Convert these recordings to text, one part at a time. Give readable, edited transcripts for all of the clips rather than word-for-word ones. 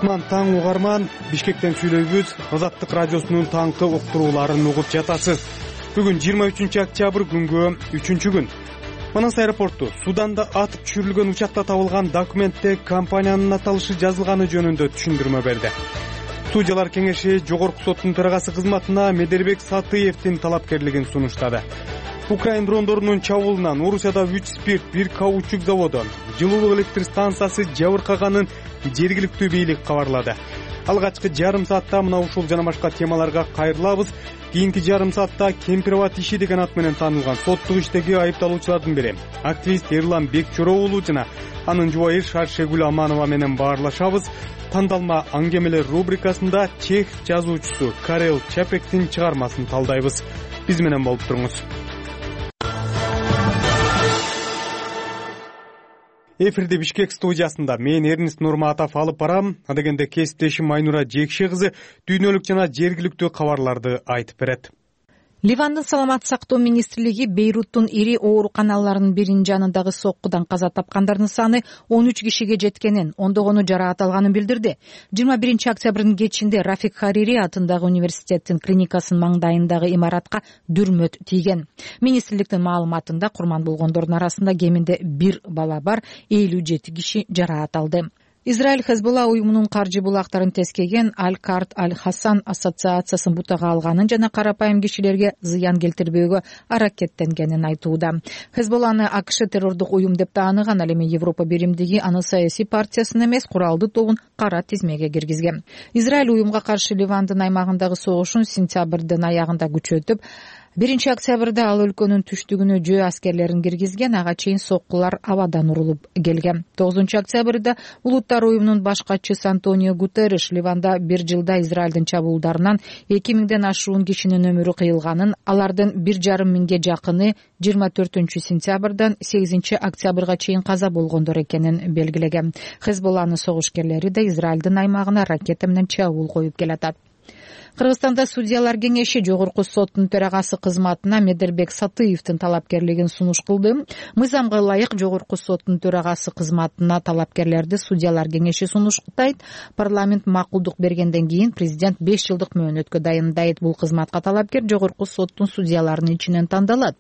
Кутман таң угарман, Бишкектен сүйлөйбүз. Азаттык радиосунун таңкы уктурууларын угуп жатасыз. Бүгүн 23 октябрь күнгө 3-күн. Манас аэропорту Суданда атып түшүрүлгөн учакта табылган документте компаниянын аталышы жазылганы жөнүндө түшүндүрмө берди. Судьялар кеңеши Жогорку соттун төрагасы кызматына Медербек Сатыевдин талапкерлигин сунуштады. Украин дрондорунун чабуулунан Орусияда 3 спирт, 1 каучук заводу, жылуулук электр станциясы жабыркаганын жергиликтүү бийлик кабарлады. Алгачкы жарым саатта мына ушул жана башка темаларга кайрылабыз. Кийинки жарым саатта Кемпирабад иши деген ат менен таанылган соттук иштеги айыпталуучулардын бири активист Эрлан Бекчороо уулу жана анын жубайы Шаршегүл Аманова менен баарлашабыз. Тандалма аңгемелер рубрикасында чех жазуучусу Карел Чапектин чыгармасын талдайбыз. Биз менен болуп туруңуз. Эфирде Бишкек студиясында мен Эрнест Нурматов алып барам. Адегенде кесиптешим Айнура Жекше кызы дүйнөлүк жана жергиликтүү кабарларды айтып берет. Ливандын саламаттык сактоо министрлиги Бейруттун ири ооруканаларынын биринин жанындагы соккудан каза тапкандардын саны 13 кишиге жеткенин, ондогону жараат алганын билдирди. 21 октябрдын кечинде Рафик Харири атындагы университеттин клиникасынын маңдайындагы имаратка дүрмөт тийген. Министрликтин маалыматында курман болгондордун арасында кеминде 1 бала бар, 57 киши жараат алды. Израиль Хезболла уюмунун каржы булактарын тескеген Аль-Карт Аль-Хасан ассоциациясын бутага алганын жана карапайым кишилерге зыян келтирбөөгө аракеттенгенин айтууда. Хезболланы АКШ террордук уюм деп тааныган, ал эми Европа биримдиги аны саясий партиясын эмес, куралдуу тобун кара тизмеге киргизген. Израиль уюмга каршы Ливандын аймагындагы согушун сентябрдын аягында күчөтүп, 1 октябрда ал өлкөнүн түштүгүнө жөө аскерлерин киргизген, ага чейин соккулар абадан урулуп келген. 9 октябрда Улуттар уюмунун баш катчысы Антонио Гутерриш Ливанда 1 жылда Израилдин чабуулдарынан 2000ден ашуун кишинин өмүрү кыйылганын, алардын 1,5 миңге жакыны 24 сентябрдан 8 октябрга чейин каза болгондор экенин белгилеген. Хезболланын согушкерлери да Израилдин аймагына ракета менен чабуул коюп келатат. Кыргызстанда судьялар кеңеши Жогорку соттун төрагасы кызматына Медербек Сатыевдин талапкерлигин сунуш кылды. Мыйзамга ылайык Жогорку соттун төрагасы кызматына талапкерлерди судьялар кеңеши сунуштайт. Парламент макулдук бергенден кийин президент 5 жылдык мөөнөткө дайындайт. Бул кызматка талапкер Жогорку соттун судьяларынын ичинен тандалат.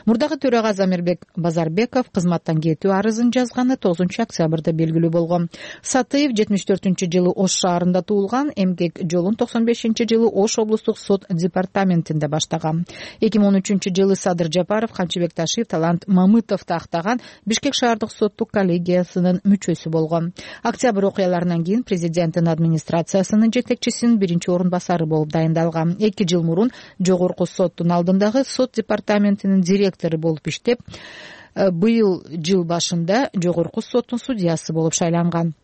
Мурдагы төрага Замирбек Базарбеков кызматтан кетүү арызын жазганы 9 октябрда белгилүү болгон. Сатыев 74-жылы Ош шаарында туулган, эмгек жолун 95-жылы Ош облустук сот департаментинде баштаган. 2013-жылы Садыр Жапаров, Канчыбек Ташиев, Талант Мамытов тактаган Бишкек шаардык соттук коллегиясынын мүчөсү болгон. Октябрь окуяларынан кийин президенттин администрациясынын жетекчисинин 1-орун басары болуп дайындалган. 2 жыл мурун Жогорку соттун алдындагы сот департаментинин директору болуп иштеп, быйыл жыл башында Жогорку соттун судьясы болуп шайланган.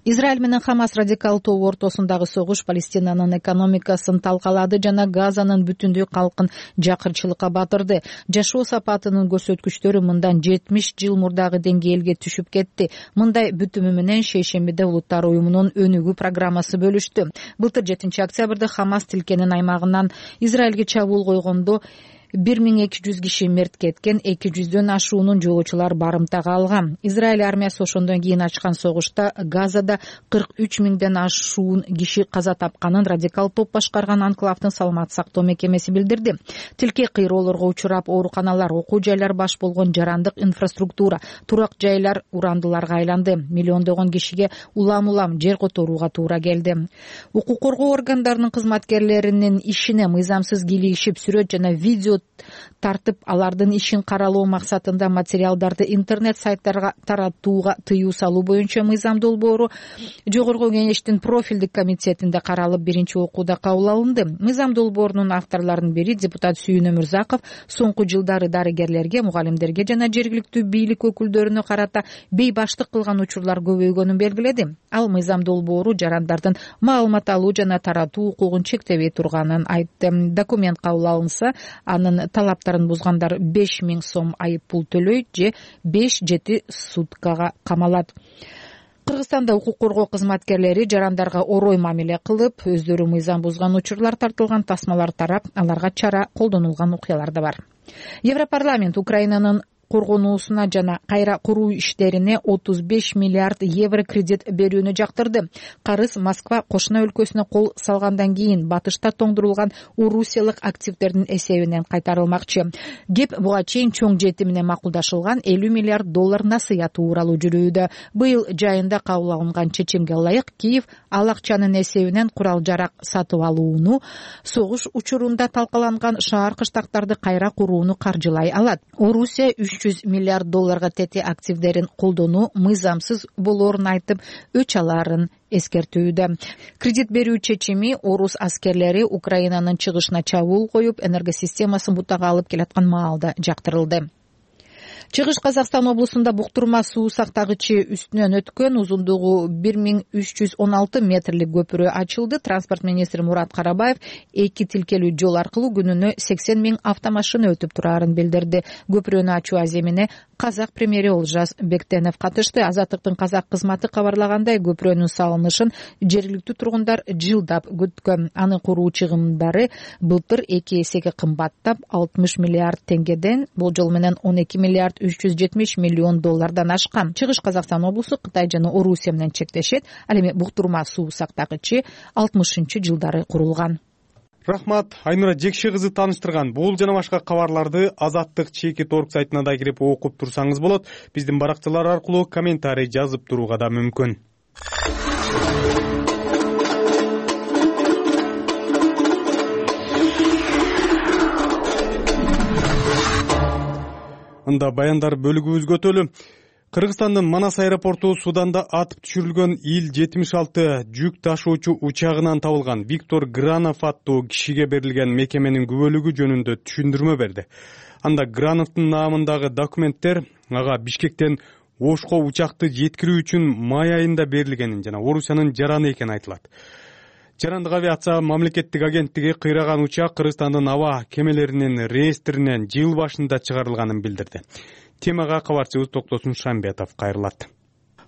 Израиль менен Хамас радикал тобу ортосундагы согуш Палестинанын экономикасын талкалады жана Газанын бүтүндүү калкын жакырчылыкка батырды. Жашоо сапатынын көрсөткүчтөрү мындан 70 жыл мурдагы деңгээлге түшүп кетти. Мындай бүтүмү менен шейшембиде Улуттар уюмунун өнүгүү программасы бөлүштү. Былтыр 7 октябрда Хамас тилкенин аймагынан Израилге чабуул койгондо 1200 киши мерт кеткен, 200дөн ашуунун жолоочулар барымтага алган. Израиль армиясы ошондон кийин ачкан согушта Газада 43 миңден ашуун киши каза тапканын радикал топ башкарган анклавдын саламаттык сактоо мекемеси билдирди. Тилке кыйроолорго учурап, ооруканалар, окуу жайлар баш болгон жарандык инфраструктура, турак жайлар урандыларга айланды. Миллиондогон кишиге улам жер которууга туура келди. Укук коргоо органдарынын кызматкерлеринин ишине мыйзамсыз кийлигишип, сүрөт жана видео тартып, алардын ишин каралоо максатында материалдарды интернет сайттарга таратууга тыюу салуу боюнча мыйзам долбоору Жогорку кеңештин профилдик комитетинде каралып, 1-окууда кабыл алынды. Мыйзам долбоорунун авторлорунун бири депутат Сүйүн Өмүрзаков соңку жылдары дарыгерлерге, мугалимдерге жана жергиликтүү бийлик өкүлдөрүнө карата бейбаштык кылган учурлар көбөйгөнүн белгиледи. Ал мыйзам долбоору жарандардын маалымат алуу жана таратуу укугун чектебей турганын айтты. Документ кабыл алынса, анын талаптарын бузгандар 5000 сом айып пул төлөйт же 5-7 суткага камалат. Кыргызстанда укук коргоо кызматкерлери жарандарга орой мамиле кылып, өздөрү мыйзам бузган учурлар тартылган тасмалар тарап, аларга чара колдонулган окуялар да бар. Европарламент Украинанын коргонуусуна жана кайра куруу иштерине 35 миллиард евро кредит берүүнү жактырды. Карыз Москва кошуна өлкөсүнө кол салгандан кийин батышта тоңдурулган орусиялык активдердин эсебинен кайтарылмакчы. Кеп буга чейин чоң жети менен макулдашылган 50 миллиард долларына сыя тууралуу жүрүүдө. Быйыл жайында кабыл алынган чечимге ылайык Киев ал акчанын эсебинен курал-жарак сатып алууну, согуш учурунда талкаланган шаар кыштактарды кайра курууну каржылай алат. Орусия 300 миллиард долларга тети активдерин колдонуу мыйзамсыз болоорун айтып, өч алаарын эскертүүдө. Кредит берүү чечими орус аскерлери Украинанын чыгышына чабуул коюп, энергосистемасын бутага алып келаткан маалда жактырылды. Чыгыш Казакстан облусунда буктурма суу сактагычы үстүнөн өткөн узундугу 1316 метрлик көпүрө ачылды. Транспорт министри Мурат Карабаев эки тилкелүү жол аркылуу күнүнө 80 000 автомашина өтүп турарын билдирди. Көпүрөнү ачуу аземине казак премьери Олжас Бектенов катышты. Азаттыктын казак кызматы кабарлагандай, көпүрөнүн салынышын жергиликтүү тургундар жылдап күткөн. Анын куруу чыгымдары былтыр 2 эсеге кымбаттап 60 миллиард теңгеден болжол менен 12 миллиард 370 миллион доллардан ашкан. Чыгыш Казакстан облусу Кытай жана Орусия менен чектешет. Ал эми буктурма суу сактагычы 60-жылдары курулган. Рахмат, Айнура Жекши кызы тааныштырган. Бул жана башка кабарларды Азаттык чекит орг сайтына да кирип окуп турсаңыз болот. Биздин баракчалар аркылуу комментарий жазып турууга да мүмкүн. Анда баяндар бөлүгүбүзгө өтөлү. Кыргызстандын Манас аэропорту Суданда атып түшүрүлгөн Ил-76 жүк ташуучу учагынан табылган Виктор Гранов аттуу кишиге берилген мекеменин күбөлүгү жөнүндө түшүндүрмө берди. Анда Грановдун наамындагы документтер ага Бишкектен Ошко учакты жеткирүү үчүн май айында берилгенин жана Орусиянын жараны экени айтылат. Жарандык авиация мамлекеттик агенттиги кыйраган учак Кыргызстандын аба кемелеринин реестринен жыл башында чыгарылганын билдирди. Темага кабарчыбыз Токтосун Шамбетов кайрылат.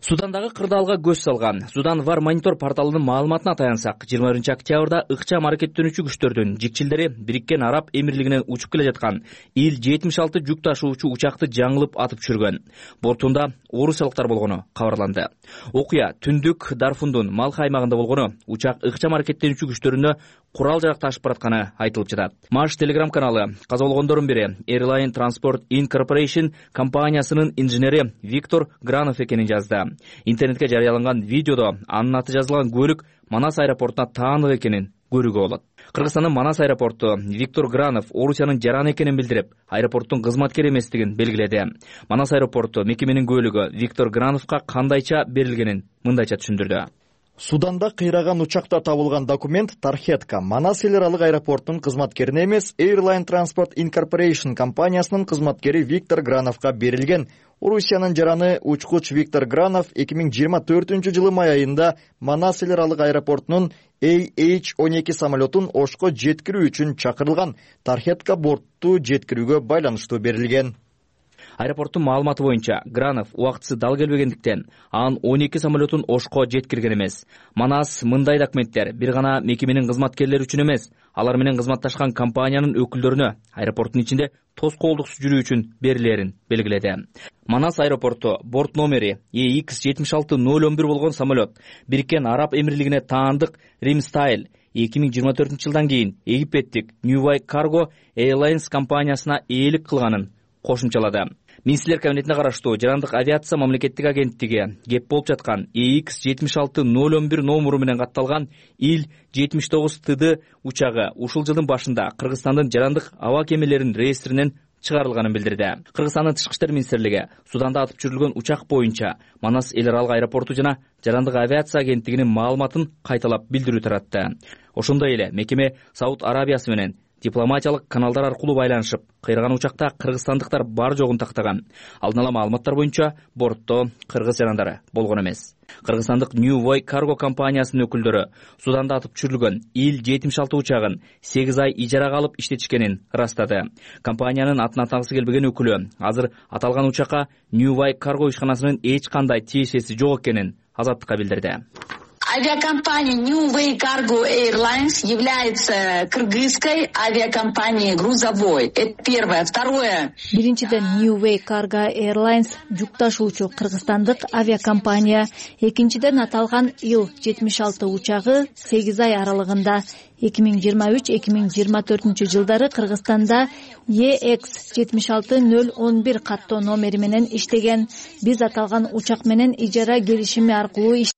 Судандагы кырдаалга көз салган Судан Вар монитор порталынын маалыматына таянсак, 21 октябрда ыкчам аракеттенүүчү күчтөрдүн жикчилдери Бириккен Араб Эмирлигинен учуп келе жаткан Ил-76 жүк ташуучу учакты жаңылып атып түшүргөн. Бортунда орусиялыктар болгону кабарланды. Окуя түндүк Дарфундун Малха аймагында болгону, учак ыкчам аракеттенүүчү күчтөрүнө курал-жарак ташып баратканы айтылып жатат. Маш телеграм каналы каза болгондордун бири Airline Transport Incorporation компаниясынын инженери Виктор Гранов экенин жазды. Интернетке жарыяланган видеодо анын аты жазылган көлүк Манас аэропортуна таандык экенин көрүүгө болот. Кыргызстандын Манас аэропорту Виктор Гранов Орусиянын жараны экенин билдирип, аэропорттун кызматкери эместигин белгиледи. Манас аэропорту мекеменин көлүгү Виктор Грановго кандайча берилгенин мындайча түшүндүрдү. Суданда кыйраган учакта табылган документ тархетка Манас эл аралык аэропорттун кызматкерине эмес, Airline Transport Incorporation компаниясынын кызматкери Виктор Грановго берилген. Орусиянын жараны учкуч Виктор Гранов 2024-жылы май айында Манас эл аралык аэропортунун AH-12 самолетун Ошко жеткирүү үчүн чакырылган. Тархетка бортту жеткирүүгө байланыштуу берилген. Аэропорттун маалыматы боюнча, Гранов убактысы дал келбегендиктен анын 12 самолетун Ошко жеткирген эмес. Манас мындай документтер бир гана мекеменин кызматкерлери үчүн эмес, алар менен кызматташкан компаниянын өкүлдөрүнө аэропорттун ичинде тоскоолдуксуз жүрүү үчүн берилерин белгиледи. Манас аэропорту борт номери EX-76-011 болгон самолет Бириккен Араб Эмирлигине таандык Rimstyle 2024-жылдан кийин египеттик New Way Cargo Airlines компаниясына ээлик кылганын кошумчалады. Министрлер кабинетине караштуу Жарандык авиация мамлекеттик агенттиги кеп болуп жаткан EX-76-011 номуру менен катталган Ил-79 учагы ушул жылдын башында Кыргызстандын жарандык аба кемелеринин реестринен чыгарылганын билдирди. Кыргызстандын Тышкы иштер министрлиги Суданда атып түшүрүлгөн учак боюнча Манас эл аралык аэропорту жана Жарандык авиация агенттигинин маалыматын кайталап билдирүү таратты. Ошондой эле мекеме Сауд Арабиясы менен дипломатиялык каналдар аркылуу байланышып, кыйраган учакта кыргызстандыктар бар жогун тактаган. Алдын ала маалыматтар боюнча бортто кыргыз жарандары болгон эмес. Кыргызстандык New Way Cargo компаниясынын өкүлдөрү Суданда атып түшүрүлгөн Ил-76 учагын 8 ай ижарага алып иштетишкенин ырастады. Компаниянын атын атагысы келбеген өкүлү азыр аталган учакка New Way Cargo ишканасынын эч кандай тиешеси жок экенин Азаттыкка билдирди. Авиакомпания New Way Cargo Airlines является кыргызской авиакомпанией грузовой. Это первое. Второе. Биринчиден New Way Cargo Airlines жүк ташуучу кыргызстандык авиакомпания. Экинчиден аталган Ил-76 учагы 8 ай аралыгында 2023-2024 жылдары Кыргызстанда EX-76011 каттоо номери менен иштеген. Биз аталган учак менен ижара келишими аркылуу иштеген.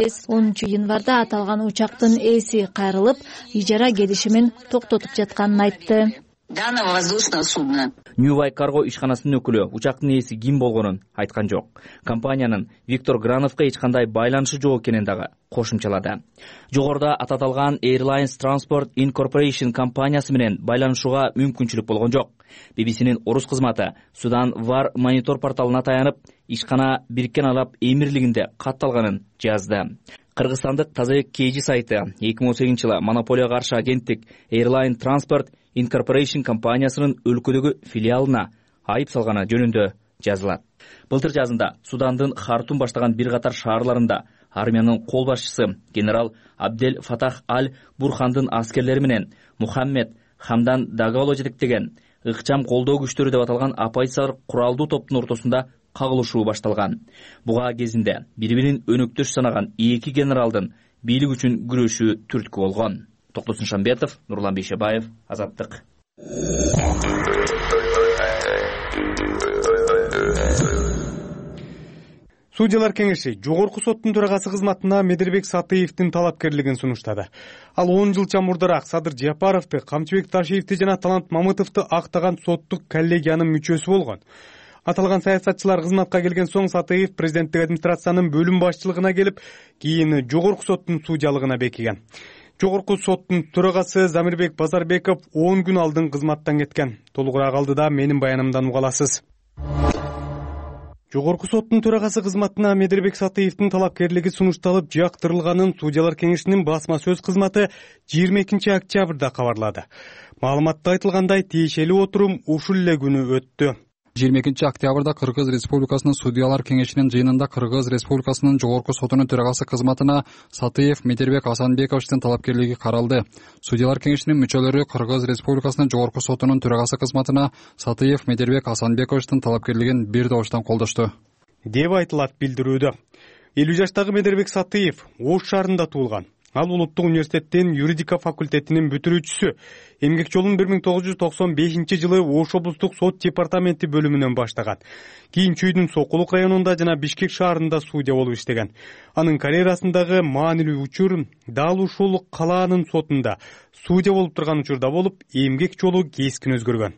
10 январда аталган учактын ээси кайрылып, ижара келишимин токтотуп жатканын айтты. Данного воздушного судна. New Way Cargo ишканасынын өкүлү учактын ээси ким болгонун айткан жок. Компаниянын Виктор Грановго эч кандай байланышы жок экенин дагы кошумчалады. Жогоруда аталган Airlines Transport Incorporation компаниясы менен байланышууга мүмкүнчүлүк болгон жок. BBC'нин орус кызматы Судан War Monitor порталына таянып, ишкана Бириккен Араб Эмирлигинде катталганын жазды. Кыргызстандык Тазабек KG сайты 2018-жылы монополияга каршы агенттик Airline Transport Incorporation компаниясынын өлкөдөгү филиалына айып салганы жөнүндө жазылат. Былтыр жазында Судандын Хартум баштаган бир катар шаарларында армиянын кол башчысы генерал Абдел Фатах Аль-Бурхандын аскерлери менен Мухаммед Хамдан Дагало жетектеген ыкчам колдоо күчтөрү деп аталган оппозициялык куралдуу топтун ортосунда кагылышуу башталган. Буга кезинде бири-бирин өнөктөш санаган эки генералдын бийлик үчүн күрөшүү түрткү болгон. Токтосун Шамбетов, Нурлан Бейшебаев, Азаттык. Судьялар кеңеши жогорку соттун төрагасы кызматына Медербек Сатыевдин талапкерлигин сунуштады. Ал 10 жыл мурдараак Садыр Жапаровду, Камчыбек Ташиевди жана Талант Мамытовду актаган соттук коллегиянын мүчөсү болгон. Аталган саясатчылар кызматка келген соң Сатыев президенттик администрациянын бөлүм башчылыгына келип, кийин жогорку соттун судьялыгына бекиген. Жогорку соттун төрагасы Замирбек Базарбеков 10 күн алдын кызматтан кеткен. Толугураак алдыда менин баянымдан уга аласыз. Жогорку соттун төрагасы кызматына Медербек Сатыевдин талапкерлиги сунушталып жактырылганын Судьялар кеңешинин басма сөз кызматы 22 октябрда кабарлады. Маалыматта айтылгандай, тиешелүү отурум ушул эле күнү өттү. 22 октябрда Кыргыз Республикасынын Судьялар кеңешинин жыйынында Кыргыз Республикасынын жогорку сотунун төрагасы кызматына Сатыев Медербек Асанбековичтин талапкерлиги каралды. Судьялар кеңешинин мүчөлөрү Кыргыз Республикасынын жогорку сотунун төрагасы кызматына Сатыев Медербек Асанбековичтин талапкерлигин бир добуштан колдошту деп айтылат билдирүүдө. 50 жаштагы Медербек Сатыев Ош шаарында туулган. Ал Улуттук университеттин юридика факультетинин бүтүрүүчүсү. Эмгек жолун 1995 жылы Ош облустук сот департаменти бөлүмүнөн баштаган. Кийин Чүйдүн Сокулук районунда жана Бишкек шаарында судья болуп иштеген. Анын карьерасындагы маанилүү учур дал ушул калаанын сотунда судья болуп турган учурда болуп, эмгек жолу кескин өзгөргөн.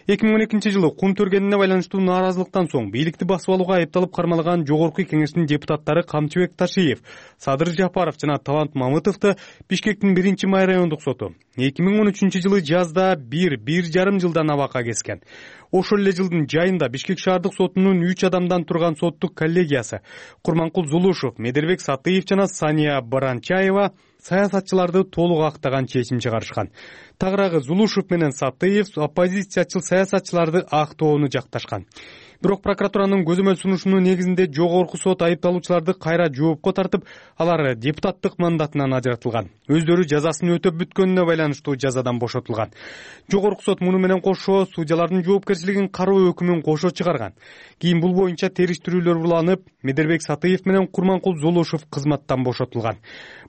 2012 жылы кум төргенине байланыштуу нааразылыктан соң бийликти басып алууга айыпталып кармалган жогорку кеңештин депутаттары Камчыбек Ташиев, Садыр Жапаров жана Талант Мамытовду Бишкектин 1-май райондук соту 2013 жылы жазда 1,5 жылдан абакка кескен. Ошол эле жылдын жайында Бишкек шаардык сотунун 3 адамдан турган соттук коллегиясы Курманкул Зулушев, Медербек Сатыев жана Сания Баранчаева саясатчыларды толук актаган чечим чыгарышкан. Тагыраагы Зулушев менен Сатыев оппозициячыл саясатчыларды актоону жакташкан. Бирок прокуратуранын көзөмөл сунушунун негизинде жогорку сот айыпталуучуларды кайра жоопко тартып, алар депутаттык мандатынан ажыратылган. Өздөрү жазасын өтөп бүткөнүнө байланыштуу жазадан бошотулган. Жогорку сот муну менен кошо судьялардын жоопкерчилигин кароо өкүмүн кошо чыгарган. Кийин бул боюнча териштирүүлөр уланып, Медербек Сатыев менен Курманкул Зулушев кызматтан бошотулган.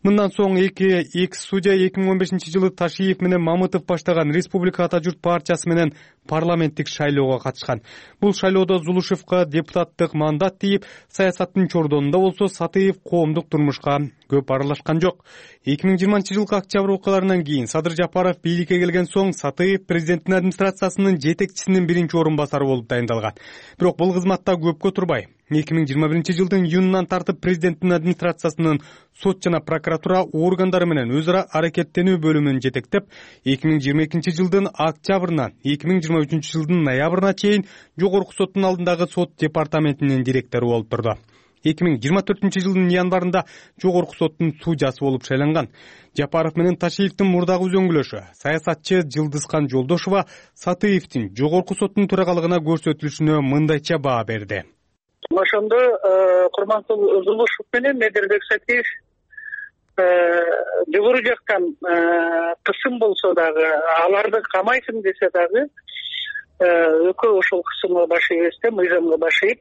Мындан соң эки экс-судья 2015 жылы Ташиев менен Мамытов баштаган Республика Ата журт партиясы менен парламенттик шайлоого катышкан. Бул шайлоодо Зулушевга депутаттык мандат тийип, саясаттын чордонунда болсо Сатыев коомдук турмушка көп аралашкан жок. 2020 жылкы октябрь окуяларынан кийин Садыр Жапаров бийликке келген соң Сатыев президенттин администрациясынын жетекчисинин биринчи орун басары болуп дайындалган. Бирок бул кызматта көпкө турбай 2021 жылдын июнунан тартып президенттин администрациясынын сот жана прокуратура органдары менен өз ара аракеттенүү бөлүмүн жетектеп, 2022 жылдын октябрынан 2023 жылдын ноябрына чейин жогорку соттун алдындагы сот департаментинин директору болуп турду. 2024 жылдын январында жогорку соттун судьясы болуп шайланган. Жапаров менен Ташиевдин мурдагы үзөңгүлөшү саясатчы Жылдызкан Жолдошова Сатыевдин жогорку соттун төрагалыгына көрсөтүлүшүнө мындайча баа берди. Ошондо Курманкул Зулушев менен Медербек Сатыев жогору жактан кысым болсо дагы, аларды камайсың десе дагы экөө ошол кысымга баш ийбестен мыйзамга баш ийип,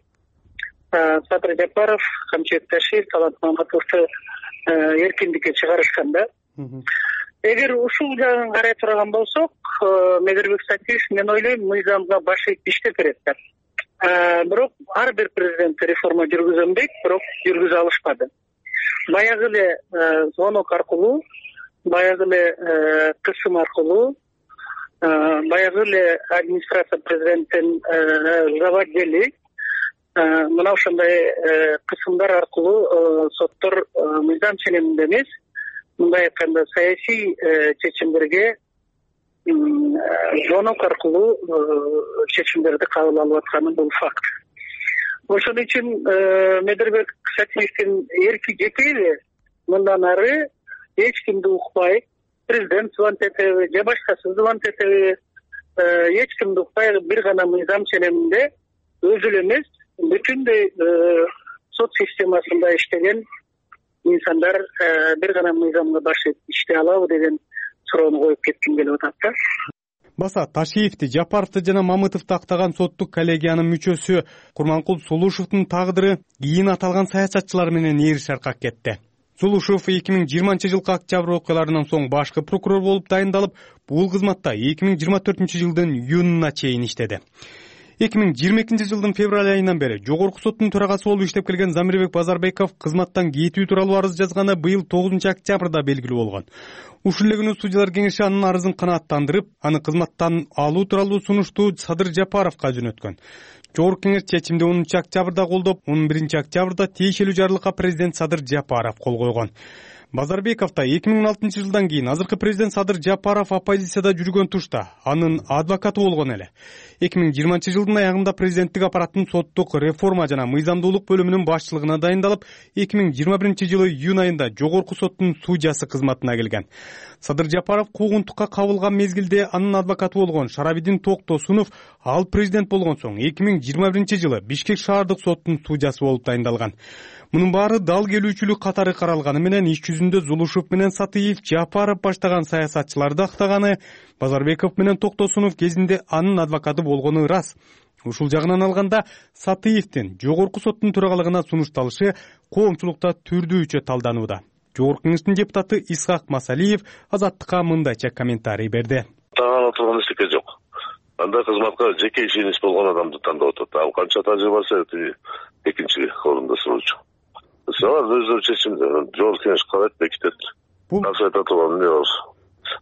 Садыр Жапаров, Камчыбек Ташиев, Талант Маматовду эркиндикке чыгарышкан да. Эгер ушул жагын карай турган болсок, Медербек Сатиев, мен ойлойм, мыйзамга баш ийип иштеп берет да. Бирок ар бир президент реформа жүргүзөм дейт, бирок жүргүзө алышпады. Баягы эле звонок аркылуу, баягы эле кысым аркылуу, баягы эле администрация президенттин заводдели мына ошондой кысымдар аркылуу соттор мыйзам ченеминде эмес, мындай айтканда саясий чечимдерге звонок аркылуу чечимдерди кабыл алып атканы бул факт. Ошон үчүн Медербек Сатиевдин эрки жетеби мындан ары эч кимди укпай, президент звонт этеби же башкасы звонт этеби, эч кимди укпай бир гана мыйзам ченеминде өзү эле эмес, бүтүндөй сот системасында иштеген инсандар бир гана мыйзамга баш ийип иштей алабы деген суроону коюп кетким келип атат да. Баса Ташиевди, Жапаровду жана Мамытовду актаган соттук коллегиянын мүчөсү Курманкул Сулушевдун тагдыры кийин аталган саясатчылар менен ээри шаркак кетти. Сулушев 2020-жылкы октябрь окуяларынан соң башкы прокурор болуп дайындалып, бул кызматта 2024-жылдын июнуна чейин иштеди. 2022-жылдын февраль айынан бери Жогорку соттун төрагасы болуп иштеп келген Замирбек Базарбеков кызматтан кетүү тууралуу арыз жазганы быйыл 9-октябрда белгилүү болгон. Ушул эле күнү судьялар кеңеши анын арызын канааттандырып, аны кызматтан алуу тууралуу сунушту Садыр Жапаровго жөнөткөн. Жогорку кеңеш чечимди 10-октябрда колдоп, 11-октябрда тиешелүү жарлыкка президент Садыр Жапаров кол койгон. Базарбеков да 2016-жылдан кийин азыркы президент Садыр Жапаров оппозицияда жүргөн тушта анын адвокаты болгон эле. 2020-жылдын аягында президенттик аппараттын соттук реформа жана мыйзамдуулук бөлүмүнүн башчылыгына дайындалып, 2021-жылы июнь айында Жогорку соттун судьясы кызматына келген. Садыр Жапаров куугунтукка кабылган мезгилде анын адвокаты болгон Шарабидин Токтосунов ал президент болгон соң 2021-жылы Бишкек шаардык соттун судьясы болуп дайындалган. Мунун баары дал келүүчүлүк катары каралганы менен иш жүзүндө Зулушев менен Сатиев, Жапаров баштаган саясатчыларды актаганы, Базарбеков менен Токтосунов кезинде анын адвокаты болгону ырас. Ушул жагынан алганда Сатиевдин Жогорку соттун төрагалыгына сунушталышы коомчулукта түрдүүчө талданууда. Жогорку кеңештин депутаты Исхак Масалиев Азаттыкка мындайча комментарий берди. Тагала турган эчтеке жок. Анда кызматка жеке ишенич болгон адамды тандап атат. Ал канча тажрыйбасы экинчи орунда суроочу. Салар өздөрү чечимди жогорку кеңеш карайт, бекитет. Акча айта турган эмне бар?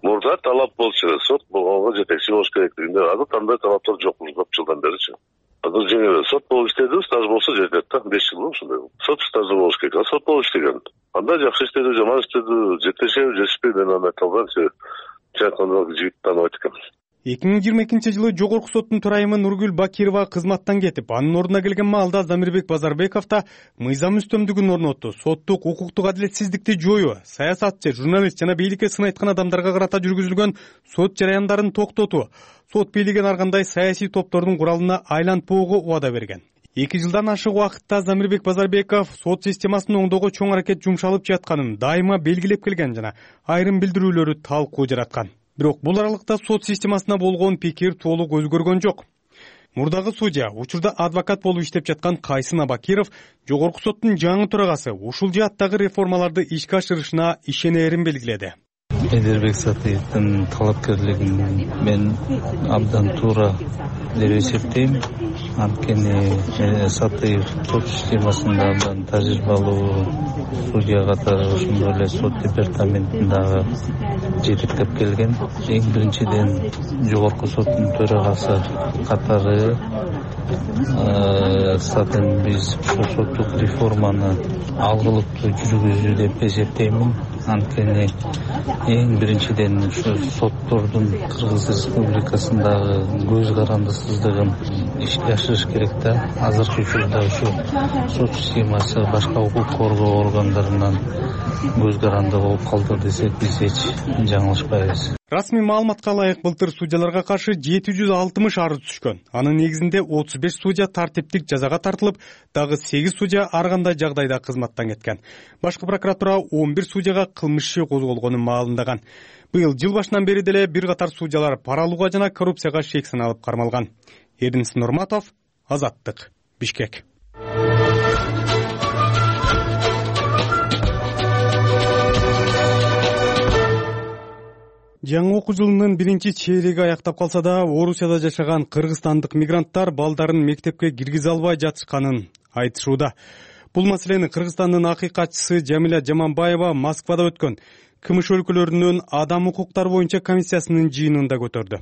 Мурда талап болчу, сот болгонго жетекчи болуш керектигинде, азыр кандай талаптар жок көп жылдан беричи. Азыр жеңил сот болуп иштеди, стаж болсо жетет да, 5 жыл ушундай. Сот стажы болуш керек, сот болуп иштеген. Анда жакшы иштеди, жаман иштеди, жетешеби, жетишпей, мен аны айта албайм, чайкандаг жигит тааныбайт экен. 2022-жылы Жогорку соттун төрайымы Нургүл Бакирова кызматтан кетип, анын ордуна келген маалда Замирбек Базарбеков да мыйзам үстөмдүгүн орнотту, соттук укуктук адилетсиздикти жоюу, саясатчы, журналист жана бийликке сын айткан адамдарга карата жүргүзүлгөн сот жараяндарын токтотуу, сот бийлигин ар кандай саясий топтордун куралына айлантпоого убада берген. 2 жылдан ашык убакытта Замирбек Базарбеков сот системасын оңдоого чоң аракет жумшалып жатканын дайыма белгилеп келген жана айрым билдирүүлөрү талкуу жараткан. Бирок бул аралыкта сот системасына болгон пикир толук өзгөргөн жок. Мурдагы судья, учурда адвокат болуп иштеп жаткан Кайсын Абакиров, Жогорку соттун жаңы төрагасы ушул жааттагы реформаларды ишке ашырышына ишенерин белгиледи. Медербек Сатиевдин талапкерлигин мен абдан туура деп эсептейм. Анткени Сатиев сот системасында абдан тажрыйбалуу судья катары, ошондой эле сот департаментиндагы жетектеп келген. Эң биринчиден Жогорку соттун төрагасы катары сатен биз ушул соттук реформаны алгылыктуу жүргүздү деп эсептеймин. Анткени эң биринчиден ушу соттордун Кыргыз Республикасындагы көз карандысыздыгын ишке ашырыш керек да. Азыркы учурда ушу сот системасы башка укук коргоо органдарынан көз каранды болуп калды десек, биз эч жаңылышпайбыз. Расмий маалыматка ылайык былтыр судьяларга каршы 760 арыз түшкөн. Анын негизинде 35 судья тартиптик жазага тартылып, дагы 8 судья ар кандай жагдайда кызматтан кеткен. Башкы прокуратура 11 судьяга кылмыш иши козголгонун маалымдаган. Быйыл жыл башынан бери деле бир катар судьялар пара алууга жана коррупцияга шек саналып кармалган. Эрдинис Нурматов, Азаттык, Бишкек. Жаңы окуу жылынын биринчи чейреги аяктап калса да, Орусияда жашаган кыргызстандык мигранттар балдарын мектепке киргизе албай жатышканын айтышууда. Бул маселени Кыргызстандын акыйкатчысы Жамиля Жаманбаева Москвада өткөн КМШ өлкөлөрүнүн адам укуктары боюнча комиссиясынын жыйынында көтөрдү.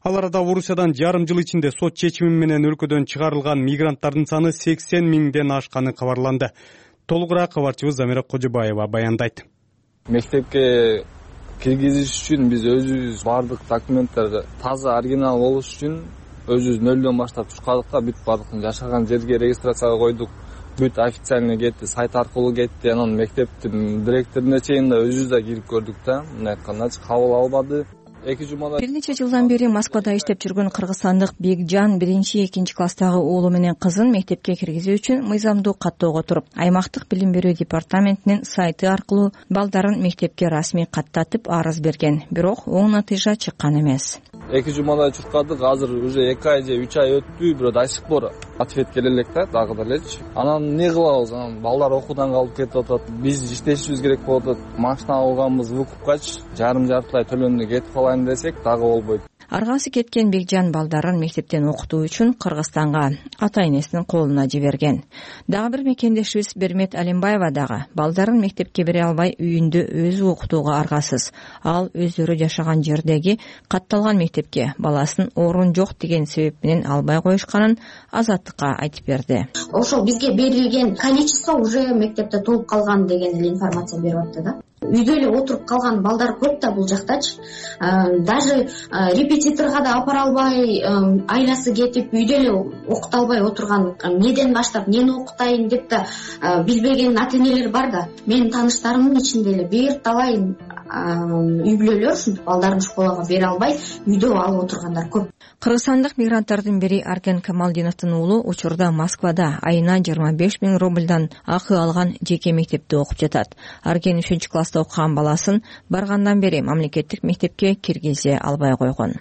Ал арада Орусиядан жарым жыл ичинде сот чечими менен өлкөдөн чыгарылган мигранттардын саны 80 миңден ашканы кабарланды. Толугураак кабарчыбыз Замира Кожобаева баяндайт. Мектепке киргизиш үчүн биз өзүбүз бардык документтерди таза оригинал болуш үчүн өзүбүз нөлдөн баштап чыккандык да, бүт бардык жашаган жерге регистрацияга койдук. Бүт официальный кетти, сайт аркылуу кетти. Анан мектептин директоруна чейин да өзүбүз да кирип көрдүк да. Мындай айтканда кабыл албады. Бир нече жылдан бери Москвада иштеп жүргөн кыргызстандык Бекжан 1-2 класстагы уулу менен кызын мектепке киргизүү үчүн мыйзамдуу каттоого туруп, аймактык билим берүү департаментинин сайты аркылуу балдарын мектепке расмий каттатып арыз берген. Бирок оң натыйжа чыккан эмес. 2 жумадай чуркадык, азыр уже 2 ай же 3 ай өттү, бирок до сих пор ответ келе элек да, дагы делечи. Анан эмне кылабыз? Анан балдар окуудан калып кетип атат. Биз иштешибиз керек болуп атат. Машина алганбыз выкупкачы жарым-жартылай төлөндү кетип калайын десек дагы болбойт. Аргасы кеткен Бекжан балдарын мектептен окутуу үчүн Кыргызстанга ата энесинин колуна жиберген. Дагы бир мекендешибиз Бермет Алимбаева дагы балдарын мектепке бере албай үйүндө өзү окутууга аргасыз. Ал өздөрү жашаган жердеги катталган мектепке баласын орун жок деген себеп менен албай коюшканын Азаттыкка айтып берди. Ошол бизге берилген количество уже мектепте толуп калган деген эле информация берип атты да. Үйдө эле отуруп калган балдар көп да бул жактачы. Даже репетиторго да апара албай, айласы кетип үйдө эле окута албай отурган, эмнеден баштап эмнени окутайын деп да билбеген ата-энелер бар да. Менин тааныштарымдын ичинде эле бир талай үй бүлөлөр ушинтип балдарын школага бере албай үйдө алып отургандар көп. Кыргызстандык мигранттардын бири Аркен Камалдиновдун уулу учурда Москвада айына 25 миң рубльдан акы алган жеке мектепте окуп жатат. Аркен 3-класста окуган баласын баргандан бери мамлекеттик мектепке киргизе албай койгон.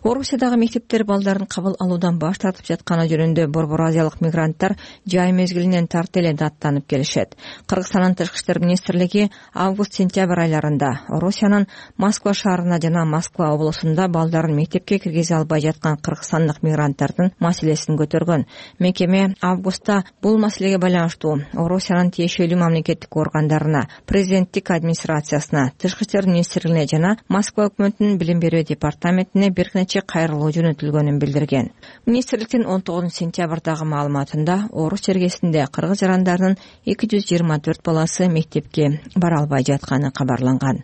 Орусиядагы мектептер балдарын кабыл алуудан баш тартып жатканы жөнүндө Борбор Азиялык мигранттар жай мезгилинен тарта эле даттанып келишет. Кыргызстандын Тышкы иштер министрлиги август-сентябрь айларында Орусиянын Москва шаарына жана Москва облусунда балдарын мектепке киргизе албай жаткан кыргызстандык мигранттардын маселесин көтөргөн. Мекеме августта бул маселеге байланыштуу Орусиянын тиешелүү мамлекеттик органдарына, президенттик администрациясына, Тышкы иштер министрлигине жана Москва өкмөтүнүн билим берүү департаментине бир нече кайрылуу жөнөтүлгөнүн билдирген. Министрликтин 19-сентябрдагы маалыматында Орус чергесинде кыргыз жарандарынын 224 баласы мектепке бара албай жатканы кабарланган.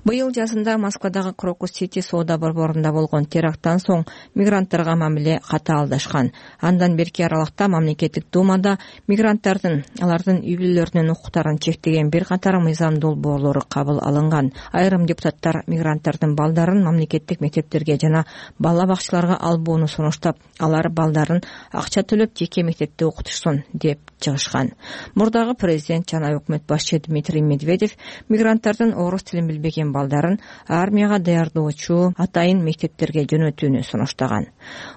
Быйыл жазында Москвадагы Крокус-Сити соода борборунда болгон теракттан соң мигранттарга мамиле катаалдашкан. Андан берки аралыкта мамлекеттик думада мигранттардын, алардын үй бүлөлөрүнүн укуктарын чектеген бир катар мыйзам долбоорлору кабыл алынган. Айрым депутаттар мигранттардын балдарын мамлекеттик мектептерге жана бала бакчаларга албоону сунуштап, алар балдарын акча төлөп жеке мектепте окутушсун деп чыгышкан. Мурдагы президент жана өкмөт башчы Дмитрий Медведев мигранттардын орус тилин билбеген балдарын армияга даярдоочу атайын мектептерге жөнөтүүнү сунуштаган.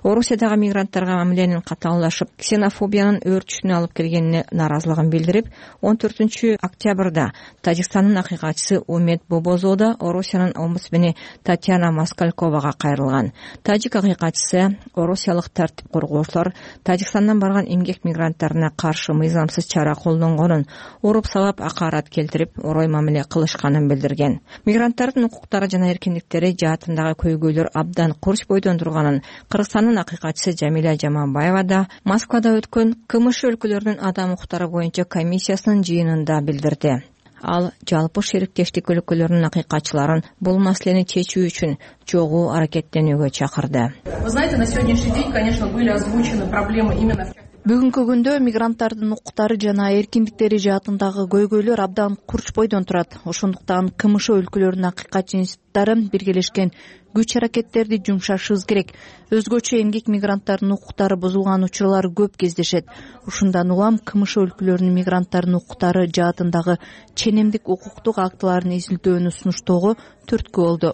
Орусиядагы мигранттарга мамиленин катаалдашып, ксенофобиянын өөрчүшүнө алып келгенине наразылыгын билдирип, 14 октябрда Тажикстандын акыйкатчысы Умет Бобозода Орусиянын омбудсмени Татьяна Москальковага кайрылган. Тажик акыйкатчысы орусиялык тартип коргоочулар Тажикстандан барган эмгек мигранттарына каршы мыйзамсыз чара колдонгонун, уруп сабап акарат келтирип, орой мамиле кылышканын билдирген. Мигранттардын укуктары жана эркиндиктери жаатындагы көйгөйлөр абдан курч бойдон турганын Кыргызстандын акыйкатчысы Жамиля Жаманбаева да Москвада өткөн КМШ өлкөлөрүнүн адам укуктары боюнча комиссиясынын жыйынында билдирди. Ал жалпы шериктештик өлкөлөрүнүн акыйкатчыларын бул маселени чечүү үчүн чогуу аракеттенүүгө чакырды. Вы знаете, на сегодняшний день, конечно, были озвучены проблемы именно Бүгүнкү күндө мигранттардын укуктары жана эркиндиктери жаатындагы көйгөйлөр абдан курч бойдон турат. Ошондуктан КМШ өлкөлөрүнүн акыйкатчы институттары биргелешкен күч аракеттерди жумшашыбыз керек. Өзгөчө эмгек мигранттарынын укуктары бузулган учурлар көп кездешет. Ушундан улам КМШ өлкөлөрүнүн мигранттарынын укуктары жаатындагы ченемдик укуктук актыларын изилдөөнү сунуштоого түрткү болду,